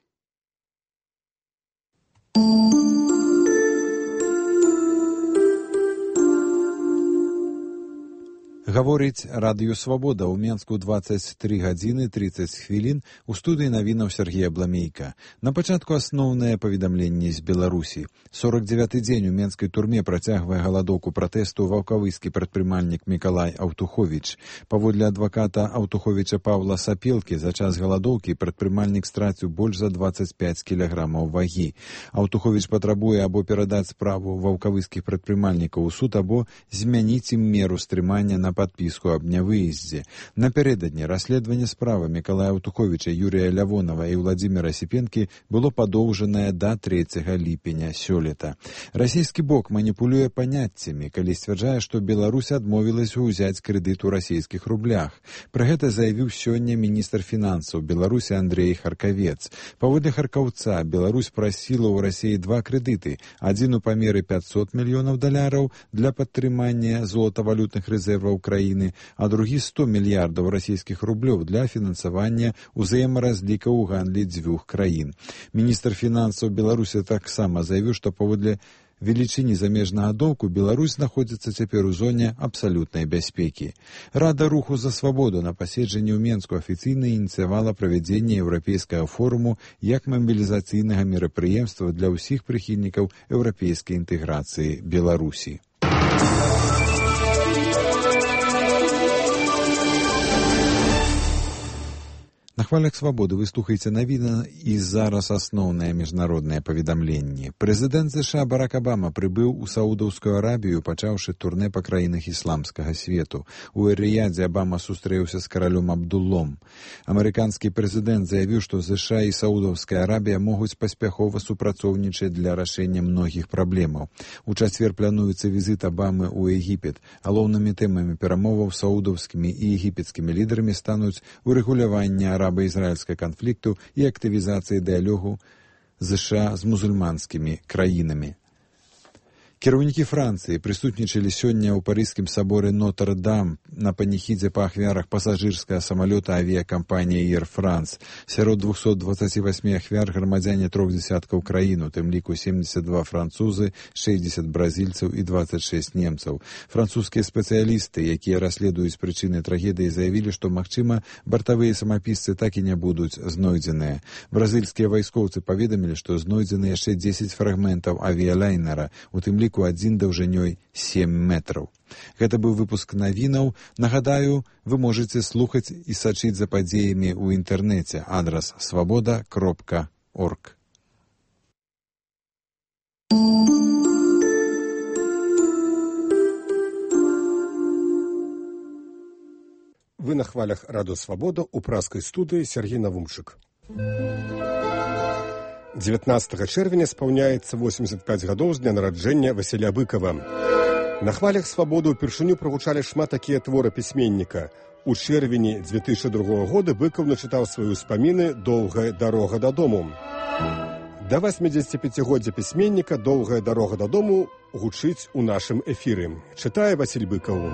Гаворыць радыё «Свабода» ў Менску 23 гадзіны 30 хвілін, у студыі навінаў Сергія Бламейка. На пачатку асноўнае паведамленне з Беларусі. 49-й дзень у менскай турме працягвае галадоўку пратэсту ваўкавыскі прадпрымальнік Мікалай Аўтуховіч. Паводле адваката Аўтуховіча Паўла Сапелкі, за час галадоўкі прадпрымальнік страціў больш за 25 кілаграмаў вагі. Аўтуховіч патрабуе або перадаць справу ваўкавыскіх прадпрымальнікаў у суд, або змяніць ім меру стрымання на подписку об нявыездзе. Напярэдадні расследаванне справы Мікалая Аўтуховіча, Юрія Лявонова і Владзіміра Сіпенкі было падоўжанае да 3 ліпеня сёлета. Расійскі бок маніпулюе паняццямі, калі сцвярджае, што Беларусь адмовілася ўзяць крэдыт у расійскіх рублях. Пра гэта заявіў сёння міністр фінансаў Беларусі Андрей Харкавец. Паводле харкаўца, Беларусь прасіла ў Расіі 2 крэдыты. Адзін у памеры $500 мільёнаў для падтрымання золатавалютных рэзерваў краіны, а другі 100 мільярдаў расійскіх рублёў для фінансавання ўзаемаразлікаў у гандлі дзвюх краін. Міністр фінансаў Беларусі таксама заявіў, што паводле велічыні замежнага доўгу Беларусь знаходзіцца цяпер у зоне абсалютнай бяспекі. Рада руху за свабоду на паседжанні ў Менску афіцыйна ініцыявала правядзенне еўрапейскага форуму як мабілізацыйнага мерапрыемства для ўсіх прыхільнікаў еўрапейскай інтэграцыі Беларусі. На хвалях свабоды вы слухаеце навіны і зараз асноўнае міжнароднае паведамленне. Прэзідэнт ЗША Барак Абама прыбыў у Саудаўскую Арабію, пачаўшы турне па краінах ісламскага свету. У Эр-Ріядзе Абама сустрэўся з каралём Абдуллом. Амерыканскі прэзідэнт заявіў, што ЗША і Саудаўская Арабія могуць паспяхова супрацоўнічаць для рашэння многіх праблемаў. У чацвер плануецца візіт Абамы ў Егіпет. Галоўнымі тэмамі перамоваў з саудаўскімі і егіпецкімі лідарамі стануць урэгуляванне араба-ізраільскага канфлікту і актывізацыі дыялогу ЗША з мусульманскімі краінамі. Кіраўнікі Францыі прысутнічалі сёння ў парыжскім саборы Нотр-Дам на паніхідзе па ахвярах пасажырскага самалёта авіякампаніі Air France. Сярод 228 ахвяр грамадзяне 3 дзясяткаў краін, у тым ліку 72 французы, 60 бразільцаў і 26 немцаў. Французскія спецыялісты, якія расследуюць прычыны трагедыі, заявілі, што, магчыма, бартавыя самапісцы так і не будуць знойдзеныя. Бразільскія вайскоўцы паведамілі, што знойдзены яшчэ 10 фрагментаў авіялайнера, у тым ліку адзін даўжынёй 7 метраў. Гэта быў выпуск навінаў. Нагадаю, вы можаце слухаць і сачыць за падзеямі ў інтэрнэце. Адрас свабода.орг. Вы на хвалях радыё «Свабода» у праскай студыі Сергей Навумчык. 19 чэрвеня спаўняецца 85 гадоў з дня нараджэння Васіля Быкава. На хвалях «Свабоды» ўпершыню прагучалі шмат такія творы пісьменніка. У чэрвені 2002 года Быкаў начытаў свае ўспаміны «Доўгая дарога дадому». Да 85-годдзя пісьменніка «Доўгая дарога дадому» гучыць у нашым эфіры. Чытае Васіль Быкаў.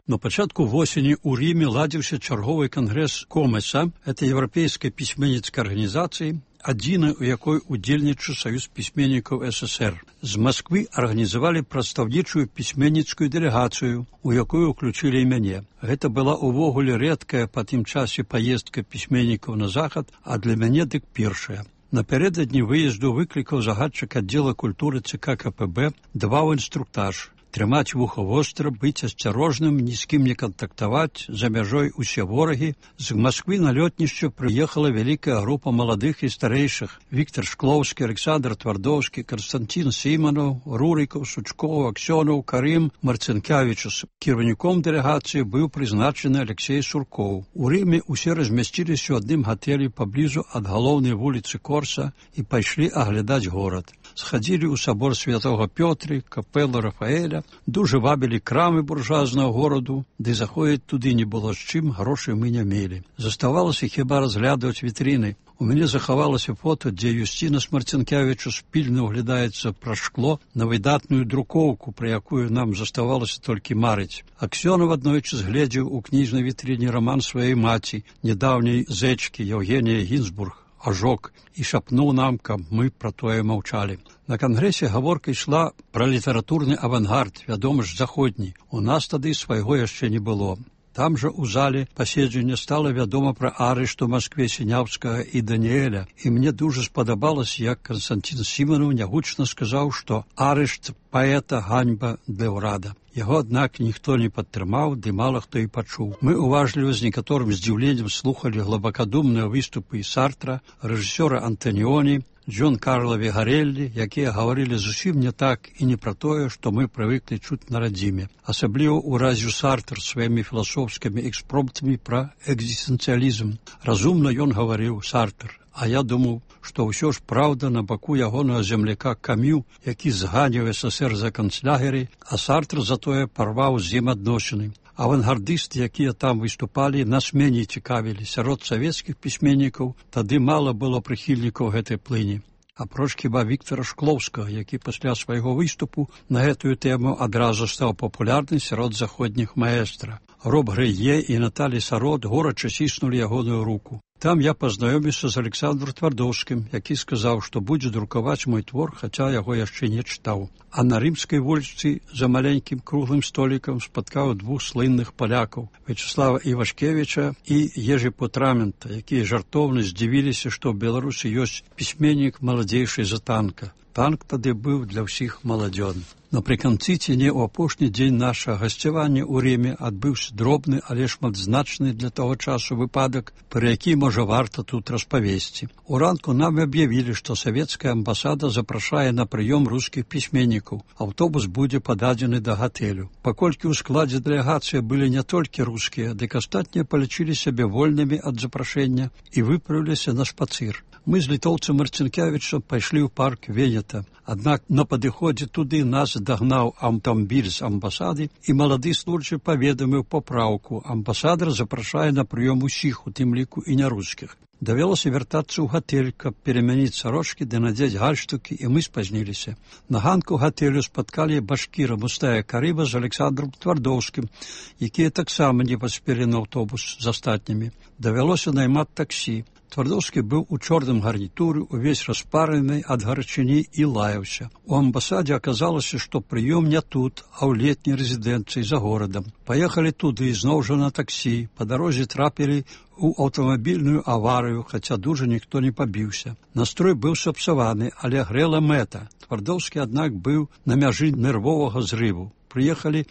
На пачатку восені ў Ріме ладзіўся чарговы кангрэс Комеса, это еўрапейскай пісьменніцкай арганізацыі, адзінай, у якой удзельнічаў Саюз пісьменнікаў СССР. З Масквы арганізавалі прадстаўнічую пісьменніцкую дэлегацыю, у якую ўключылі і мяне. Гэта была ўвогуле рэдкая па тым часе паездка пісьменнікаў на захад, а для мяне дык першая. Напярэдадні выезду выклікаў загадчык аддзела культуры ЦК КПБ, даваў інструктаж. Трымаць вуха востра, быць асцярожным, ні з кім не кантактаваць, за мяжой усе ворагі. З Масквы на лётнішча прыехала вялікая група маладых і старэйшых. Віктор Шклоўскі, Александр Твардоўскі, Константин Сіманаў, Рурікаў, Сучкоў, Аксёнаў, Карым, Марцынкявічус. Кіраўніком дэлегацыі быў прызначаны Алексей Суркоў. У Рыме усе размясціліся ў адным гатэлі паблізу ад галоўнай вуліцы Корса і пайшлі аглядаць горад. Схадзілі ў сабор Святога Пётры, капэлу Рафаэля, дужа вабілі крамы буржуазнага гораду, ды заходзіць туды не было з чым, грошай мы не мелі. Заставалася хіба разглядаць вітрыны. У мяне захавалася фота, дзе Юсціна Марцінкевіча спільна ўглядаецца праз шкло на выдатную друкоўку, пра якую нам заставалася толькі марыць. Аксёнаў аднойчы згледзеў у кніжнай вітрыне раман сваёй маці, нядаўняй зэчкі Еўгенія Гінзбург, «Ажок», і шапнуў нам, каб мы пра тое маўчалі. На кангрэсе гаворка ішла пра літаратурны авангард, вядома ж, заходні. У нас тады свайго яшчэ не было. Там жа у зале паседжання стала вядома пра арышт у Маскве Сіняўскага і Даніэля, і мне дужа спадабалася, як Канстантин Сіманаў нягучна сказаў, што арышт паэта ганьба для ўрада. Яго, аднак, ніхто не падтрымаў, ды мала хто і пачуў. Мы уважліва з некаторым здзіўленнем слухалі глыбакадумныя выступы і Сартра, рэжысёра Антаніоні, Джон Карла Вегареллі, якія гаварылі зусім не так і не пра тое, што мы прывыклі чуць на радзіме. Асабліва ўразіў Сартр сваімі філасофскімі экспромтамі пра экзістэнцыялізм. Разумна ён гаварыў, Сартр, а я думаў, што ўсё ж праўда на баку ягонага земляка Камю, які зганіў СССР за канцлягеры, а Сартр затое парваў з ім адносіны. Авангардысты, якія там выступалі, нас меней цікавілі. Сярод савецкіх пісьменнікаў тады мала было прыхільнікаў гэтай плыні. Апроч хіба Віктара Шклоўскага, які пасля свайго выступу на гэтую тэму адразу стаў папулярны сярод заходніх маэстра. Роб Грэе і Наталі Сарот горача ціснулі ягоную руку. Там я пазнаёміўся з Александром Твардоўскім, які сказаў, што будзе друкаваць мой твор, хаця яго яшчэ не чытаў. А на рымскай вуліцы за маленькім круглым столікам спаткаў двух слынных палякаў, Вячеслава Івашкевіча і Ежы Путрамента, якія жартоўна здзівіліся, што ў Беларусі ёсць пісьменнік маладзейшы за Танка. Танк тады быў для ўсіх маладзён. Напрыканцы ці не ў апошні дзень нашага гасцявання ў Рыме адбыўся дробны, але шматзначны для таго часу выпадак, пра які, можа, варта тут распавесці. Уранку нам аб'явілі, што савецкая амбасада запрашае на прыём рускіх пісьменнікаў. Аўтобус будзе пададзены да гатэлю. Паколькі ў складзе дэлегацыі былі не толькі рускія, дык астатнія палічылі сябе вольнымі ад запрашэння і выправіліся на шпацыр. Мы з літоўцам Марцінкевічам пайшлі ў парк Венета. Аднак на падыходзе туды нас дагнаў аўтамабіль з амбасады, і малады службы паведаміў папраўку. Амбасадар запрашае на прыём усіх, у тым ліку і нярускіх. Давялося вяртацца ў гатэль, каб перамяніць сарочкі ды надзець гальштукі, і мы спазніліся. На ганку гатэлю спаткалі башкіра Мустая Карыба з Александром Твардоўскім, якія таксама не паспелі на аўтобус з астатнімі. Давялося наймаць таксі. Твардоўскі быў у чорным гарнітуры, увесь распараны ад гарачыні і лаяўся. У амбасадзе аказалася, што прыём не тут, а ў летняй рэзідэнцыі за горадам. Паехалі туды, зноў жа на таксі. Па дарозе трапілі ў аўтамабільную аварыю, хаця дужа ніхто не пабіўся. Настрой быў сапсаваны, але грэла мэта. Твардоўскі, аднак, быў на мяжы нервовага зрыву. Прыехалі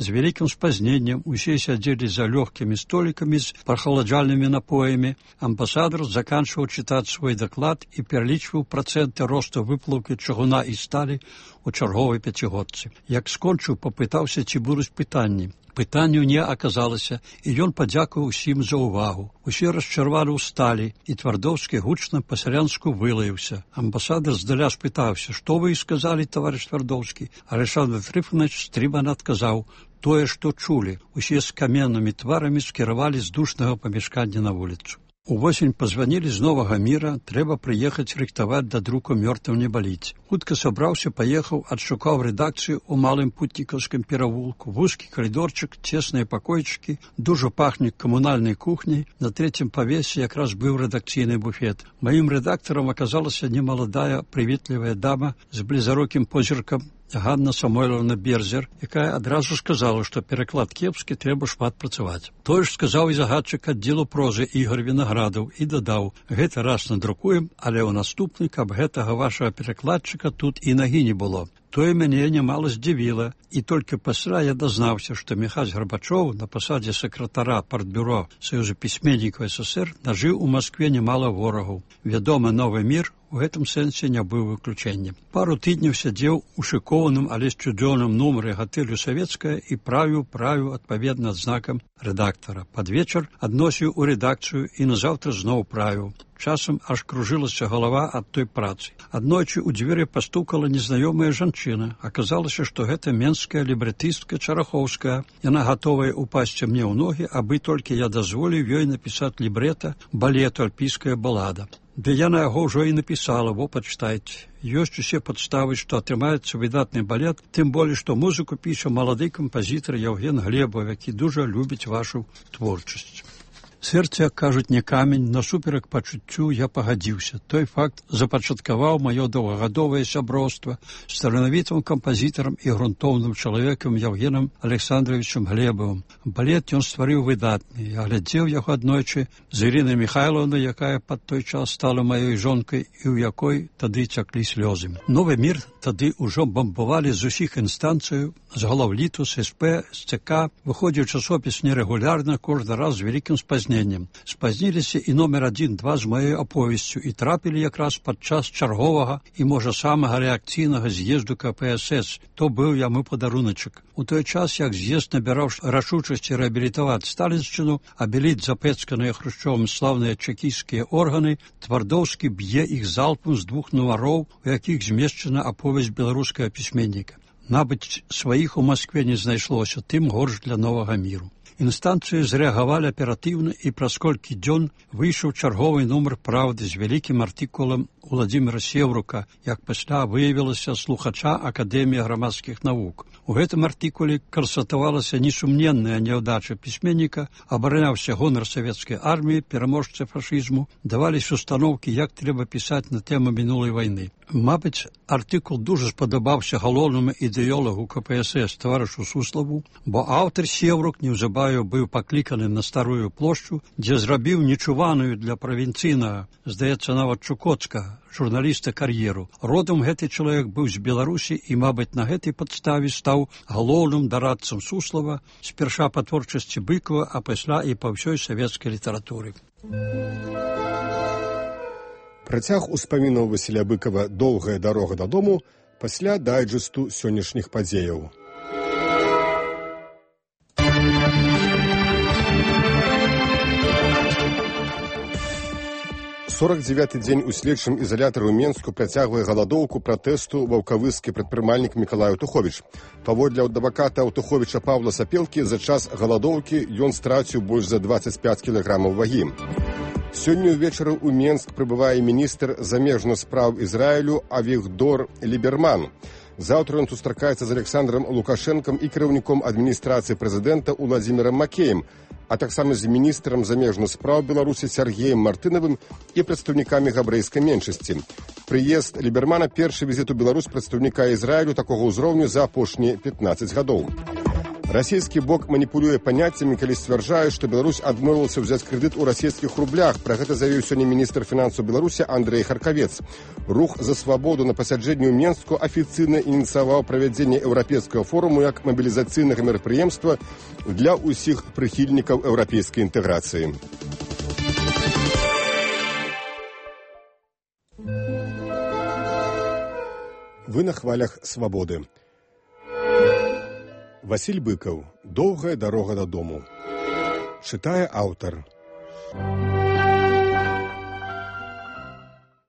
з вялікім спазненнем, усе сядзелі за лёгкімі столікамі з прахаладжальнымі напоямі. Амбасадар заканчваў чытаць свой даклад і пералічваў працэнты росту выплаўкі чыгуна і сталі у чарговай пяцігодцы. Як скончыў, папытаўся, ці будуць пытанні. Пытанняў не аказалася, і ён падзякаваў усім за ўвагу. Усе расчарвалі ў сталі, і Твардоўскі гучна па-сялянску вылаяўся. Амбасадар здаля спытаўся: «Што вы і сказалі, таварыш Твардоўскі?» Александр Трыфанович стрымана адказаў: «Тое, што чулі». Усе з каменнымі тварамі скіравалі з душнага памяшкання на вуліцу. Увосень пазванілі з Новага Міра, трэба прыехаць рыхтаваць да друку «Мёртвым не баліць». Хутка сабраўся, паехаў, адшукаў рэдакцыю ў малым путнікаўскім перавулку. Вузкі калідорчык, цесныя пакойчыкі, дужа пахне камунальнай кухняй. На трэцім павесе якраз быў рэдакцыйны буфет. Маім рэдактарам аказалася немаладая, прыветлівая дама з блізарокім позіркам, Ганна Самойловна Берзер, якая адразу сказала, што пераклад кепскі, трэба шмат працаваць. Тое ж сказаў і загадчык аддзелу прозы Ігор Вінаградаў і дадаў: «Гэты раз надрукуем, але ў наступны, каб гэтага вашага перакладчыка тут і нагі не было». Тое мяне немала здзівіла, і толькі пасля я дазнаўся, што Міхась Гарбачоў на пасадзе сакратара партбюро Саюза пісьменнікаў СССР нажыў у Маскве немала ворагаў. Вядома, Новы Мір у гэтым сэнсе не быў выключэннем. Пару тыдняў сядзеў у шыкованым, але сцюдзёным нумары гатэлю «Савецкая» і правіў адпаведна адзнакам рэдактара. Пад вечар адносіў у рэдакцыю і назаўтра зноў правіў. Часам аж кружылася галава ад той працы. Аднойчы ў дзверы пастукала незнаёмая жанчына. Аказалася, што гэта менская лібрэтыстка Чарахоўская. Яна гатовая упасці мне ў ногі, абы толькі я дазволіў ёй напісаць лібрэта балету «Альпійская балада». Ды я на яго ўжо і напісала, во пачытайце. Ёсць усе падставы, што атрымаецца выдатны балет, тым болей, што музыку піша малады кампазітар Яўген Глебаў, які дужа любіць вашу творчасць. Сэрце, як кажуць, не камень, насуперак пачуццю я пагадзіўся. Той факт запачаткаваў маё доўгагадовае сяброўства з таленавітым кампазітарам і грунтоўным чалавекам Яўгенам Александровичам Глебавым. Балет ён стварыў выдатны. Я глядзеў яго аднойчы з Ірынай Михайлаўнай, якая пад той час стала маёй жонкай і ў якой тады цяклі слёзы. Новы мір тады ўжо бамбавалі з усіх інстанцыяў, з глаўліту, з СП, з ЦК. Выходзіў часопіс нерэгулярна, кожны раз з вялікім спазненнем. Спазніліся і номер 1-2 з маёй аповесцю і трапілі якраз падчас чарговага і, можа, самага рэакцыйнага з'езду КПСС. То быў яму падаруначак. У той час, як з'езд набіраў рашучасці рэабілітаваць сталіншчыну, абеліць запэцканыя Хрушчовым слаўныя чэкісцкія органы, Твардоўскі б'е іх залпам з 2 нумароў, у якіх змешчана аповесць беларускага пісьменніка. Набыць сваіх у Маскве не знайшлося, тым горш для новага міру. Інстанцыі зрэагавалі аператыўна і праз колькі дзён выйшаў чарговы нумар «Правды» з вялікім артыкулам Уладзіміра Сеўрука, як пасля выявілася, слухача Акадэміі грамадскіх навук. У гэтым артыкуле канстатавалася несумненная няўдача пісьменніка, абараняўся гонар савецкай арміі, пераможцы фашызму, даваліся установкі, як трэба пісаць на тэму мінулай вайны. Мабыць, артыкул дужа спадабаўся галоўнаму ідэолагу КПСС таварышу Суславу, бо аўтар Сеўрук неўзабаве быў пакліканы на Старую плошчу, дзе зрабіў нечуваную для правінцыйнага, здаецца, нават Чукотска, журналіста кар'еру. Родам гэты чалавек быў з Беларусі і, мабыць, на гэтай падставе стаў галоўным дарадцам Суслава, спярша па творчасці Быкова, а пасля і па ўсёй савецкай літаратуры. Працяг успамінаў Васіля Быкова «Доўгая дарога дадому» пасля дайджэсту сённяшніх падзеяў. Сорок 9-й дзень у следчым ізалятары ў Менску працягвае галадоўку пратэсту ваўкавыскі прадпрымальнік Мікалай Аўтуховіч. Паводле адваката Аўтуховіча Паўла Сапелкі, за час галадоўкі ён страціў больш за 25 кілаграмаў вагі. Сёння ўвечары ў Менск прыбывае міністр замежных спраў Ізраілю Авігдор Ліберман. Заўтра ён сустракаецца з Александром Лукашэнкам і кіраўніком адміністрацыі прэзідэнта Уладзімірам Макеем, а таксама з міністрам замежных спраў Беларусі Сергеем Мартынавым і прадстаўнікамі габрэйскай меншасці. Прыезд Лібермана – першы візіт у Беларусь прадстаўніка Ізраілю такога ўзроўню за апошнія 15 гадоў. Расійскі бок маніпулюе паняццямі, калі сцвярджае, што Беларусь адмовілася ўзяць крэдыт у расійскіх рублях. Пра гэта заявіў сёння міністр фінансаў Беларусі Андрэй Харкавец. Рух за свабоду на пасяджэнні ў Менску афіцыйна ініцыяваў правядзенне еўрапейскага форуму як мабілізацыйнага мерапрыемства для ўсіх прыхільнікаў еўрапейскай інтэграцыі. Вы на хвалях свабоды. Васіль Быкаў. «Доўгая дарога дадому». Чытае аўтар.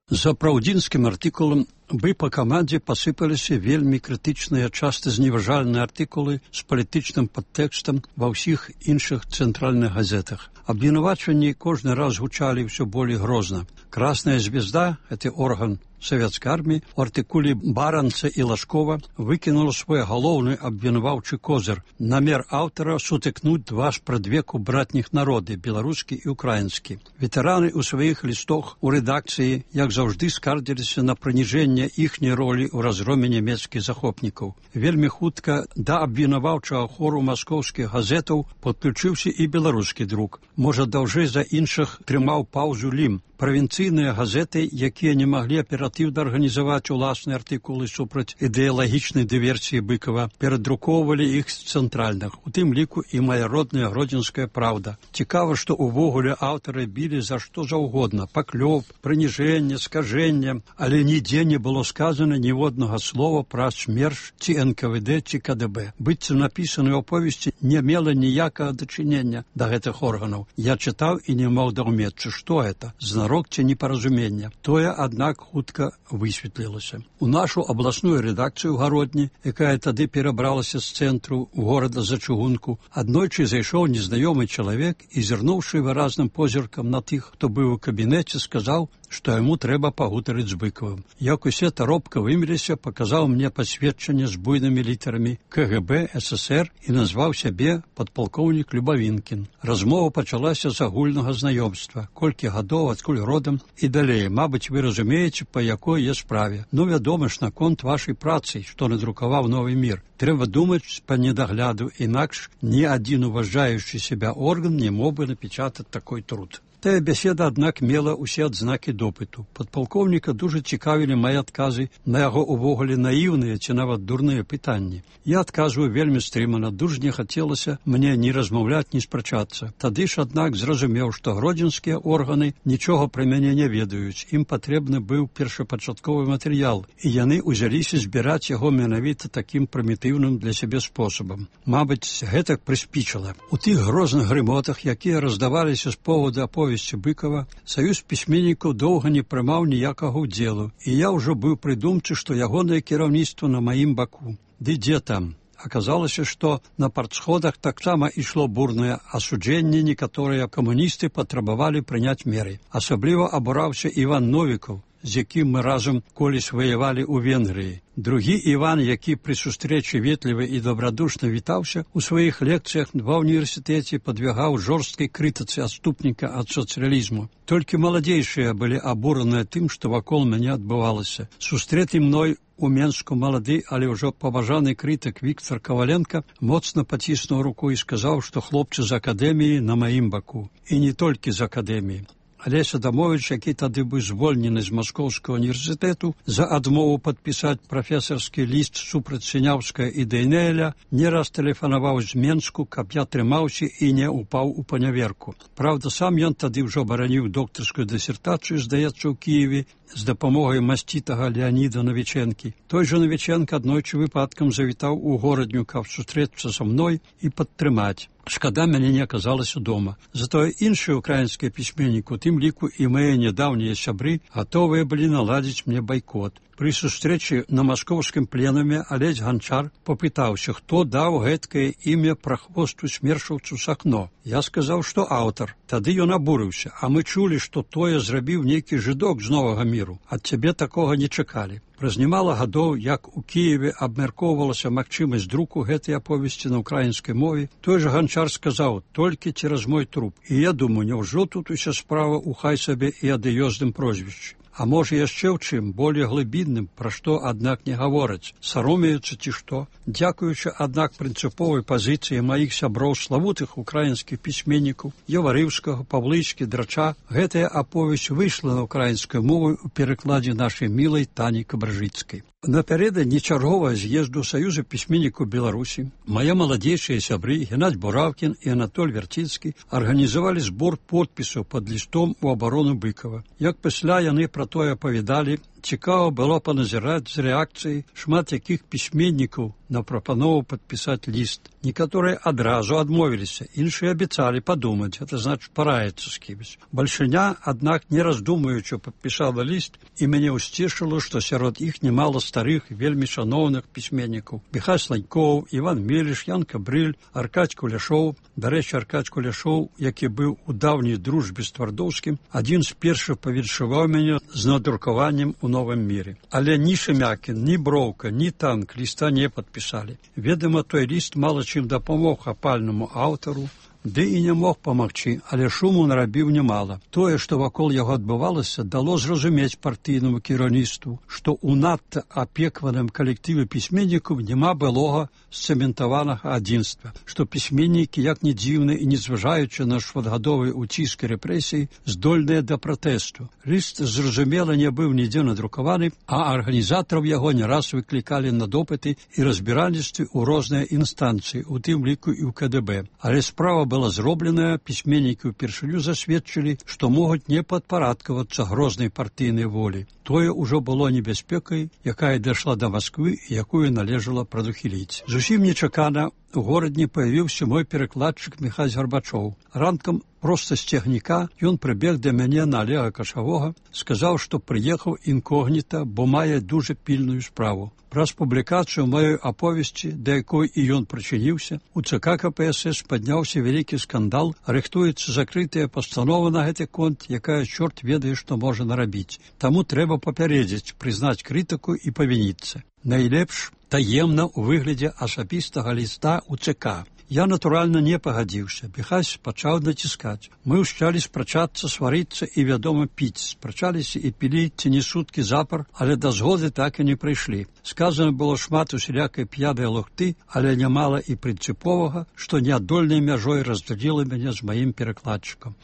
За праўдзінскім артыкулам бы па камандзе пасыпаліся вельмі крытычныя, часта зневажальныя артыкулы з палітычным падтэкстам ва ўсіх іншых цэнтральных газетах. Абвінавачванні кожны раз гучалі ўсё болей грозна. «Красная звезда» — гэты орган савецкай арміі, у артыкуле Баранца і Лашкова выкінула свой галоўны абвінаваўчы козыр. Намер аўтара сутыкнуць два спрадвеку братніх народы, беларускі і украінскі. Ветэраны ў сваіх лістах у рэдакцыі, як заўжды, скардзіліся на прыніжэнне іхняй ролі ў разгроме нямецкіх захопнікаў. Вельмі хутка да абвінаваўчага хору маскоўскіх газетаў падключыўся і беларускі друк. Можа, даўжэй за іншых трымаў паўзу Лім. Правінцыйныя газеты, якія не маглі аператыўна арганізаваць уласныя артыкулы супраць ідэалагічнай дыверсіі Быкова, перадрукоўвалі іх з цэнтральных, у тым ліку і мая родная гродзенская «Праўда». Цікава, што ўвогуле аўтары білі за што заўгодна – паклёп, прыніжэнне, скажэнне, але нідзе не было сказана ніводнага слова пра СМЕРШ ці НКВД ці КДБ. Быццам напісаныя аповесці не мела ніякага дачынення да гэтых органаў. Я чытаў і не мог даўмецца, што гэта? З сварок ці непаразумення. Тое, аднак, хутка высветлілася. У нашу абласную рэдакцыю ў Гародні, якая тады перабралася з цэнтру горада за чыгунку, аднойчы зайшоў незнаёмы чалавек і, зірнуўшы выразным позіркам на тых, хто быў у кабінеце, сказаў, што яму трэба пагутарыць з Быкавым. Як усе таропка выміліся, паказаў мне пасведчанне з буйнымі літарамі КГБ ССР і назваў сябе падпалкоўнік Любавінкін. Размова пачалася з агульнага знаёмства. Колькі гадоў, адкуль родам і далей. Мабыць, вы разумееце, па якой я справе. Ну, вядома ж, наконт вашай працы, што надрукаваў «Новы мір». Трэба думаць па недагляду, інакш ні адзін уважаючы сябе орган не мог бы напечатаць такой труд. Тая беседа, аднак, мела ўсе адзнакі допыту. Падпалкоўніка дужа цікавілі мае адказы на яго увогуле наіўныя ці нават дурныя пытанні. Я адказваю вельмі стрымана, дужа не хацелася мне ні размаўляць, ні спрачацца. Тады ж, аднак, зразумеў, што гродзенскія органы нічога пра мяне не ведаюць. Ім патрэбны быў першапачатковы матэрыял, і яны ўзяліся збіраць яго менавіта такім прымітыўным для сябе спосабам. Мабыць, гэтак прыспічыла. У тых грозных грымотах, якія раздаваліся з поводу аповесці Быкава, саюз пісьменнікаў доўга не прымаў ніякага ўдзелу, і я ўжо быў прыдумчы, што ягонае кіраўніцтва на маім баку. Ды дзе там? Аказалася, што на партсходах таксама ішло бурнае асуджэнне, некаторыя камуністы патрабавалі прыняць меры. Асабліва абураўся Іван Новікаў, з якім мы разам колісь ваявалі ў Венгрыі. Другі Іван, які пры сустрэчы ветлівы і добрадушна вітаўся, у сваіх лекцыях ва ўніверсітэце падвягаў жорсткай крытыцы адступніка ад сацыялізму. Толькі маладзейшыя былі абураныя тым, што вакол мяне адбывалася. Сустрэты мной у Менску малады, але ўжо паважаны крытык Віктор Каваленко моцна паціснуў руку і сказаў, што хлопцы з акадэміі на маім баку. І не толькі з акадэміі. Алесь Адамович, які тады быў звольнены з Маскоўскага універсітэту за адмову падпісаць прафесарскі ліст супраць Сіняўскага і Дейнеля, не раз тэлефанаваў з Менску, каб я трымаўся і не упаў у паняверку. Праўда, сам ён тады ўжо бараніў доктарскую дысертацыю, здаецца, у Кіеве, з дапамогай масцітага Леаніда Навічэнкі. Той жа Навічэнка аднойчы выпадкам завітаў у горадню, каб сустрэцца са мной і падтрымаць. Шкада, мяне не аказалася дома. Затое іншыя украінскія пісьменнікі, у тым ліку і мае нядаўнія сябры, гатовыя былі наладзіць мне байкот. Пры сустрэчы на маскоўскім пленуме Алесь Ганчар попытаўся, хто даў гэткае імя прахвосту смершаўцу Сахно. Я сказаў, што аўтар. Тады ён абурыўся, а мы чулі, што тое зрабіў нейкі жыдок з Новага міру. Ад цябе такога не чакалі. Праз немала гадоў, як у Кіеве абмяркоўвалася магчымасць друку гэтай аповесці на ўкраінскай мове, той жа Ганчар сказаў, толькі цераз мой труп. І я думаю, няўжо тут уся справа ў хай сабе і адыёзным прозвішчы. А можа яшчэ ў чым, болей глыбінным, пра што, аднак, не гавораць, саромеюцца ці што. Дзякуючы, аднак, прынцыповай пазіцыі маіх сяброў славутых украінскіх пісьменнікаў, Яварыўскага, Павлычкі, Драча, гэтая аповесць выйшла на ўкраінскую мову ў перакладзе нашай мілай Тані Кабражыцкай. Напярэдадні чарговага з'езду Саюза пісьменнікаў Беларусі мае маладзейшыя сябры Геннадзь Буравкін і Анатоль Вярціцкі арганізавалі збор подпісаў пад лістом у абарону Быкава. Як пасля яны пра тое апавядалі, цікава было паназіраць з рэакцыяй шмат якіх пісьменнікаў на прапанову падпісаць ліст. Некаторыя адразу адмовіліся, іншыя абяцалі падумаць, гэта значыць параіцца з кімось. Бальшыня, аднак, не раздумаючы, падпісала ліст, і мяне ўсцешыла, што сярод іх немала старых, вельмі шаноўных пісьменнікаў. Міхась Ланькоў, Іван Меліш, Ян Кабрыль, Аркадзь Куляшоў. Дарэчы, Аркадзь Куляшоў, які быў у даўняй дружбе з Твардоўскім, адзін з першых павіншаваў мяне з надрукаваннем у Новым міры. Але ні Шемякін, ні Броўка, ні Танк ліста не падпісалі. Ведама, той ліст мала чым дапамог апальнаму аўтару, ды і не мог памагчы, але шуму нарабіў немала. Тое, што вакол яго адбывалася, дало зразумець партыйнаму кіраўніцтву, што ў надта апекваным калектыве пісьменнікаў няма былога сцэментаванага адзінства, што пісьменнікі, як не дзіўна і не зважаючы на шматгадовыя ўціск і рэпрэсіі, здольныя да пратэсту. Ліст, зразумела, не быў нідзе надрукаваны, а арганізатараў яго не раз выклікалі на допыты і разбіральніцтвы ў розныя інстанцыі, у тым ліку і ў КДБ. Але справа была зробленая, пісьменнікі ўпершыню засведчылі, што могуць не падпарадкавацца грознай партыйнай волі. Тое ўжо было небяспекай, якая дайшла да Масквы і якую належала прадухіліць. Зусім нечакана у горадні паявіўся мой перакладчык Міхась Гарбачоў. Ранкам проста з цягніка ён прыбег да мяне на Алега Кашавога, сказаў, што прыехаў інкогніта, бо мае дужа пільную справу. Праз публікацыю маёй аповесці, да якой і ён прычыніўся, у ЦК КПСС падняўся вялікі скандал, рыхтуецца закрытая пастанова на гэты конт, якая чорт ведае, што можа нарабіць. Таму трэба папярэдзіць, прызнаць крытыку і павініцца. Найлепш таемна ў выглядзе асабістага ліста ў ЦК. Я, натуральна, не пагадзіўся. Міхась пачаў націскаць. Мы ўсчалі спрачацца, сварыцца і, вядома, піць. Спрачаліся і пілі ці не суткі запар, але да згоды так і не прыйшлі. Сказана было шмат усялякай п'янай лухты, але нямала і прынцыповага, што неадольнай мяжой раздзяліла мяне з маім перакладчыкам.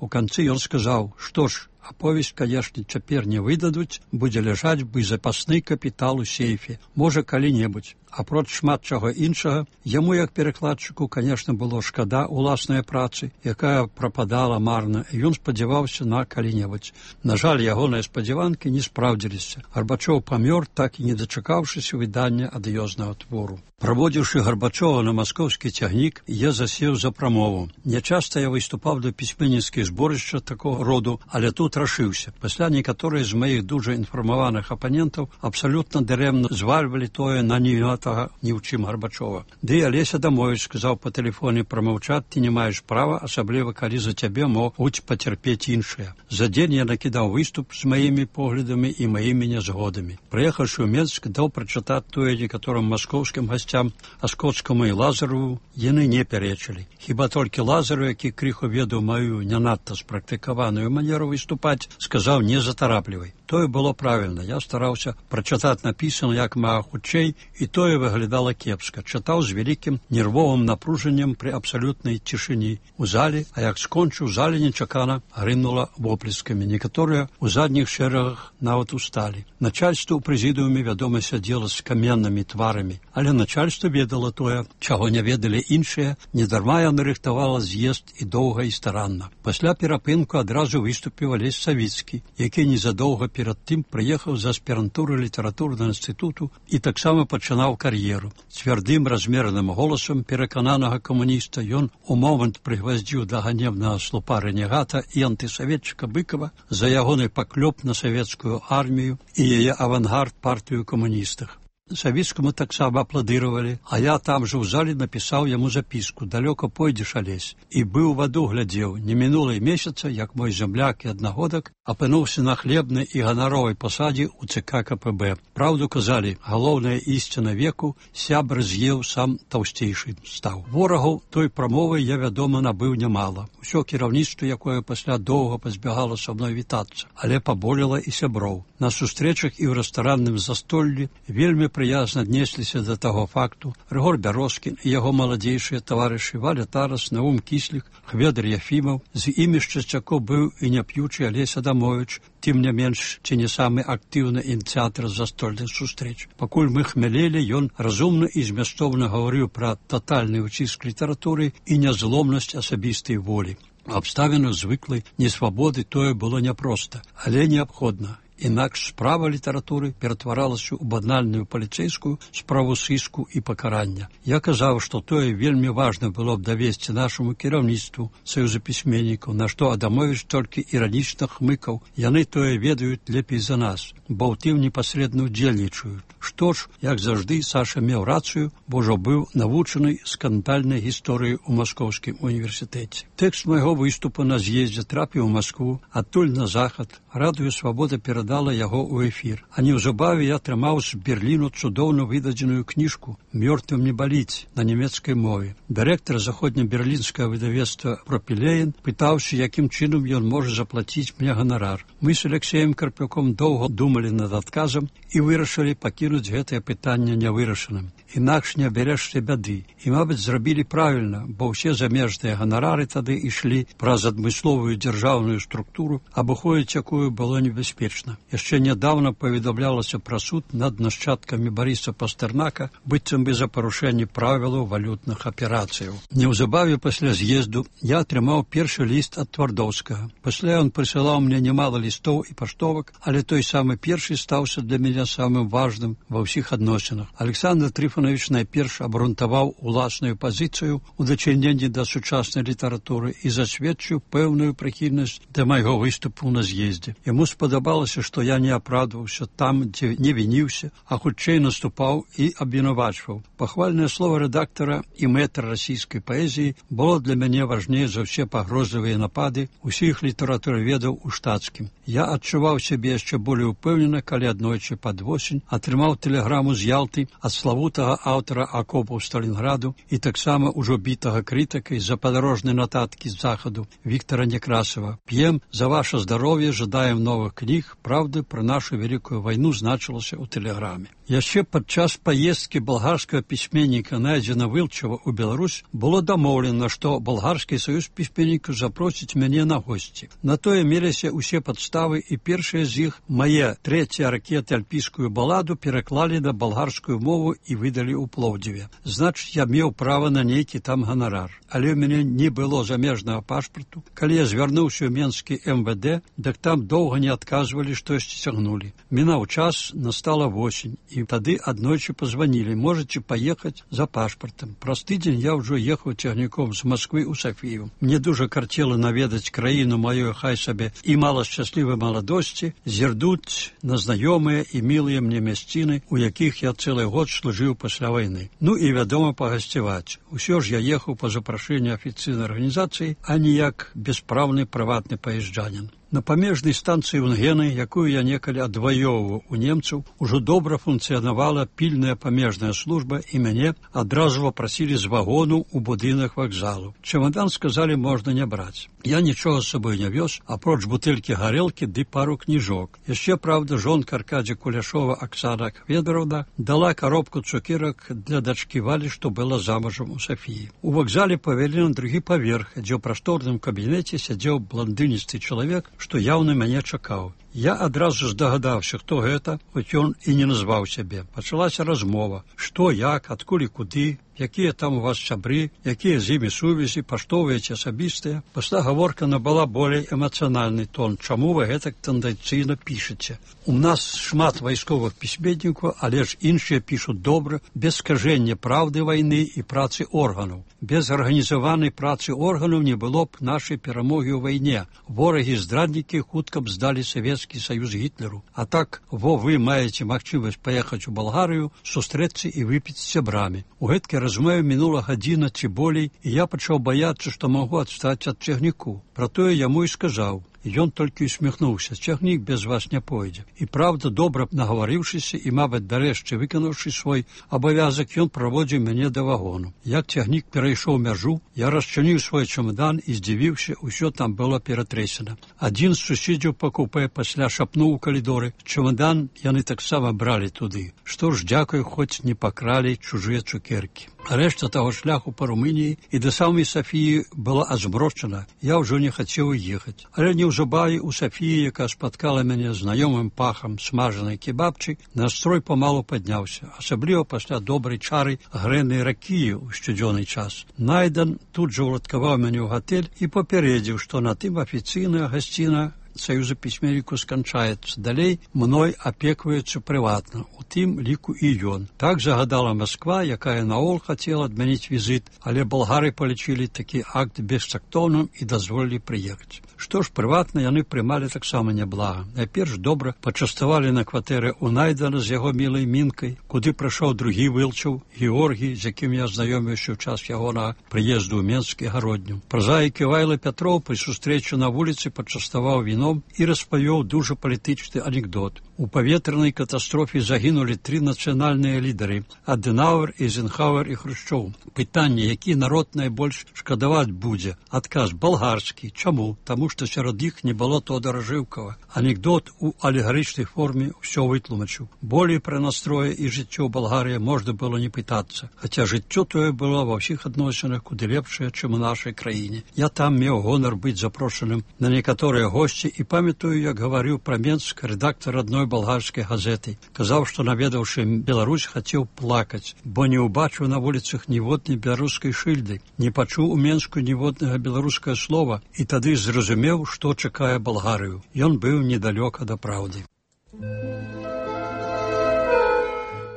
У канцы ён сказаў, што ж, аповесць, канешне, цяпер не выдадуць, будзе ляжаць бы запасны капітал у сейфе, можа, калі-небудзь. Апроч шмат чаго іншага, яму, як перакладчыку, канешне, было шкада уласнай працы, якая прападала марна, і ён спадзяваўся на калі-небудзь. На жаль, ягоныя спадзяванкі не спраўдзіліся. Гарбачоў памёр, так і не дачакаўшыся выдання адыёзнага твору. Праводзіўшы Гарбачова на маскоўскі цягнік, я засеў за прамову. Нячаста я выступаў да пісьменніцкіх зборышча такога роду, але тут рашыўся. Пасля некаторыя з маіх дужа інфармаваных апанентаў абсалютна дарэмна звальвалі тое на невінаватага ні ў чым Гарбачова. Ды Алеся Адамовіч сказаў па тэлефоне прамаўчаць, ты не маеш права, асабліва калі за цябе могуць пацярпець іншыя. За дзень я накідаў выступ з маімі поглядамі і маімі нязгодамі. Прыехаўшы ў Менск, даў прачытаць тое некаторым маскоўскім гасцям, а Скотскаму і Лазарову яны не пярэчылі. Хіба толькі Лазару, які крыху ведаў маю не надта спрактыкаваную манеру выступаць, сказаў не затараплівай. Тое было правільна. Я стараўся прачытаць напісана як мага хутчэй, і тое выглядала кепска. Чытаў з вялікім нервовым напружаннем пры абсалютнай цішыні у зале, а як скончыў, зале нечакана грымнула воплескамі. Некаторыя ў задніх шэрагах нават усталі. Начальство ў прэзідыуме, вядома, сядзела з каменнымі тварамі, але начальство ведала тое, чаго не ведалі іншыя, недарма яна рыхтавала з'езд і доўга і старанна. Пасля перапынку адразу выступіў Алесь Савіцкі, які незадоўга перад тым прыехаў з аспірантуры літаратурнага інстытуту і таксама пачынаў кар'еру. Цвярдым размераным голасам перакананага камуніста ён у момант прыгваздзіў да ганебнага слупа рэнегата і антысаветчыка Быкова за ягоны паклёп на савецкую армію і яе авангард партыю камуністах. Савіцкаму таксама апладыравалі, а я там жа ў зале напісаў яму запіску «Далёка пойдзеш, Алесь», і быў ваду глядзеў. Не мінула і месяца, як мой зямляк і аднагодак апынуўся на хлебнай і ганаровай пасадзе ў ЦК КПБ. Праўду казалі, галоўная ісціна веку, сябр з'еў, сам таўсцейшы стаў. Ворагаў той прамовы я, вядома, набыў нямала. Усё кіраўніцтва, якое пасля доўга пазбягала са мной вітацца, але паболела і сяброў. На сустрэчах і ў рэстаранным застоллі вельмі прыязна аднесліся да таго факту. Рыгор Бярозкін і яго маладзейшыя таварышы Валя Тарас, Наум Кіслік, Хведр Яфімаў, з імі з часцякоў быў і няп'ючы Алесь Адамовіч, тым не менш, ці не самы актыўны ініцыятар застольных сустрэч. Пакуль мы хмялелі, ён разумна і змястоўна гаварыў пра татальны ўціск літаратуры і нязломнасць асабістай волі. Абставіну звыклай несвабоды тое было няпроста, але неабходна. Інакш справа літаратуры ператваралася ў банальную паліцэйскую справу сыску і пакарання. Я казаў, што тое вельмі важна было б давесці нашаму кіраўніцтву Саюза пісьменнікаў, на што Адамовіч толькі іранічна хмыкаў. Яны тое ведаюць лепей за нас, бо ў тым непасрэдна ўдзельнічаюць. Што ж, як заўжды, Саша меў рацыю, бо ўжо быў навучаны скандальнай гісторыі ў Маскоўскім універсітэце. Тэкст майго выступу на з'ездзе трапіў у Маскву, адтуль на захад. Радыё Свабода перадала яго ў эфір. А неўзабаве я атрымаў з Берліну цудоўна выдадзеную кніжку «Мёртвым не баліць» на нямецкай мове. Дырэктар заходнеберлінскага выдавецтва Пропілеен пытаўся, якім чынам ён можа заплаціць мне ганарар. Мы з Алексеем Карпюком доўга думалі над адказам і вырашылі пакінуць гэтае пытанне нявырашаным. інакш не абярэшся бяды. І, мабыць, зрабілі правільна, бо ўсе замежныя ганарары тады ішлі праз адмысловую дзяржаўную структуру, абыходзіць якую было небяспечна. Яшчэ нядаўна паведамлялася пра суд над нашчадкамі Барыса Пастэрнака, быццам бы за парушэнне правілаў валютных аперацыяў. Неўзабаве пасля з'езду я атрымаў першы ліст ад Твардоўскага. Пасля ён прысылаў мне немало лістоў і паштовак, але той самы першы стаўся для мяне самым важным ва ўсіх адносінах. Александр Трифонович найперш абрунтаваў уласную пазіцыю ў дачыненні да сучаснай літаратуры і засведчыў пэўную прыхільнасць да майго выступу на з'ездзе. Яму спадабалася, што я не апраўдваўся там, дзе не вініўся, а хутчэй наступаў і абвінавачваў. Пахвальнае слово рэдактара і мэтра расійскай паэзіі было для мяне важней за ўсе пагрозлівыя напады усіх літаратураведаў у штатскім. Я адчуваў сябе яшчэ болей упэўнена, калі аднойчы пад восень атрымаў тэлеграму з Ялты ад славутага аўтара акопаў Сталінграду і таксама ўжо бітага крытыка з-за падарожнай нататкі з захаду Віктора Некрасова. «П'ем за ваше здароўе, жадаем новых кніг, правды пра нашу вялікую вайну» значылася ў тэлеграме. Яшчэ падчас паездкі балгарскага пісьменніка Найдзена Вылчава ў Беларусь было дамоўлена, што балгарскі саюз пісьменнікаў запросіць мяне на госці. На тое меліся ўсе падставы, і першыя з іх, мае трэція ракеты альпійскую баладу, пераклалі на балгарскую мову і выдалі ў Плоўдзіве. Значыць, я меў права на нейкі там ганарар. Але ў мяне не было замежнага пашпарту. Калі я звярнуўся ў Менскі МВД, дык там доўга не адказвалі, штосьці цягнулі. Мінаў час, настала восень, і тады аднойчы пазванілі: можаце паехаць за пашпартам. Праз тыдзень я ўжо ехаў цягніком з Масквы ў Сафію. Мне дужа карцела наведаць краіну маёй, хай сабе і мала шчаслівай маладосці, зірнуць на знаёмыя і мілыя мне мясціны, у якіх я цэлы год служыў пасля вайны. Ну і, вядома, пагасцяваць. Усё ж я ехаў па запрашэнні афіцыйнай арганізацыі, а не як бяспраўны прыватны паязджанін. На памежнай станцыі Унгены, якую я некалі адваёўваў у немцаў, ужо добра функцыянавала пільная памежная служба, і мяне адразу папрасілі з вагону ў будынак вакзалу. Чамадан, сказалі, можна не браць. Я нічога з сабой не вёз, апроч бутэлькі гарэлкі ды пару кніжок. Яшчэ, правда, жонка Аркадзя Куляшова Аксана Кведровна дала коробку цукерак для дачкі Валі, што была замужам у Сафіі. У вакзале павялі на другі паверх, дзе ў прасторным кабінеце сядзеў бландыністы чалавек, што яўна мяне чакаў. Я адразу здагадаўся, хто гэта, хоць ён і не назваў сябе. Пачалася размова. Што, як, адкуль і куды, якія там у вас сябры, якія з імі сувязі, паштовыя ці асабістыя. Пасля гаворка набыла болей эмацыянальны тон. Чаму вы гэтак тэндэнцыйна пішаце? У нас шмат вайсковых пісьменнікаў, але ж іншыя пішуць добра, без скажэння праўды вайны і працы органаў. Без арганізаванай працы органаў не было б нашай перамогі ў вайне. Ворагі-здраднікі хутка б здалі Савецкі Саюз Гітлеру. А так, вы маеце магчымасць паехаць у Балгарыю, сустрэцца і выпіць з сябрамі. У гэткай размове мінула гадзіна ці болей, і я пачаў баяцца, што магу адстаць ад цягніку. Пра тое яму і сказаў. Ён толькі усміхнуўся: цягнік без вас не пойдзе. І правда, добра нагаварыўшыся і, мабыць, дарэшце выканаўшы свой абавязак, ён праводзіў мяне да вагону. Як цягнік перайшоў мяжу, я расчыніў свой чамадан і здзівіўся, усё там было ператрэсена. Адзін з суседзяў па купе пасля шапнуў у калідоры: чамадан яны таксама бралі туды. Што ж, дзякуй, хоць не пакралі чужыя цукеркі. Рэшта таго шляху па Румыніі і да самай Сафіі была азмрочана. Я ўжо не хацеў ехаць. Але неўзабаве у Сафіі, якая спаткала мяне знаёмым пахам смажанай кебабчы, настрой памалу падняўся, асабліва пасля добрай чары грэнай ракіі ў сцюдзёны час. Найдэн тут жа ўладкаваў мяне ў гатэль і папярэдзіў, што на тым афіцыйная гасціна Саюза пісьменнікаў сканчаецца. Далей мной апекваюцца прыватна, у тым ліку і ён. Так загадала Масква, якая наогул хацела адмяніць візіт, але балгары палічылі такі акт бестактоўным і дазволілі прыехаць. Што ж, прыватна яны прымалі таксама няблага. Найперш добра пачаставалі на кватэры у Найдана з яго мілай Мінкай, куды прыйшоў другі Вылчаў, Георгій, з якім я знаёміўся ў час ягонага прыезду ў Менскі гародню. Празаік Івайла Пятроў пры сустрэчы на вуліцы пачаставаў віно вікном і распавёў дужа палітычны анекдот. У паветранай катастрофе загінулі 3 нацыянальныя лідары – Адэнауэр, Эйзенхауэр і Хрушчоў. Пытанне, які народ найбольш шкадаваць будзе? Адказ – балгарскі. Чаму? Таму што сярод іх не было Тодора Жыўкава. Анекдот у алегарычнай форме ўсё вытлумачыў. Болей пра настроі і жыццё Балгарыі можна было не пытацца, хаця жыццё тое было ва ўсіх адносінах куды лепшае, чым у нашай краіне. Я там меў гонар быць запрошаным на некаторыя госці і памятаю, як гаварыў пра Менск рэдактар адной балгарскай газеты. Казаў, што наведаўшы Беларусь, хацеў плакаць, бо не ўбачыў на вуліцах ніводнай беларускай шыльды, не пачуў у Менску ніводнага беларускае слова і тады зразумеў, што чакае Балгарыю. Ён быў недалёка да праўды.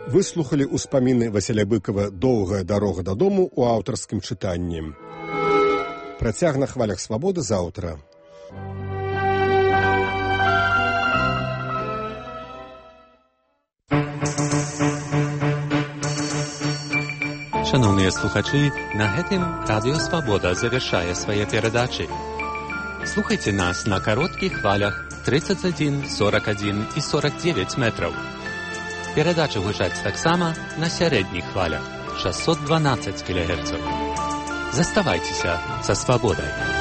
Выслухалі ўспаміны Васіля Быкова «Доўгая дарога дадому» у аўтарскім чытанні. Працяг на хвалях свабоды заўтра. Шановныя слухачы, на гэтым Радыё Свабода завяршае свае перадачы. Слухайце нас на кароткіх хвалях 31, 41 і 49 метраў. Перадачы гучаць таксама на сярэдніх хвалях 612 кГц. Заставайцеся са свабодай.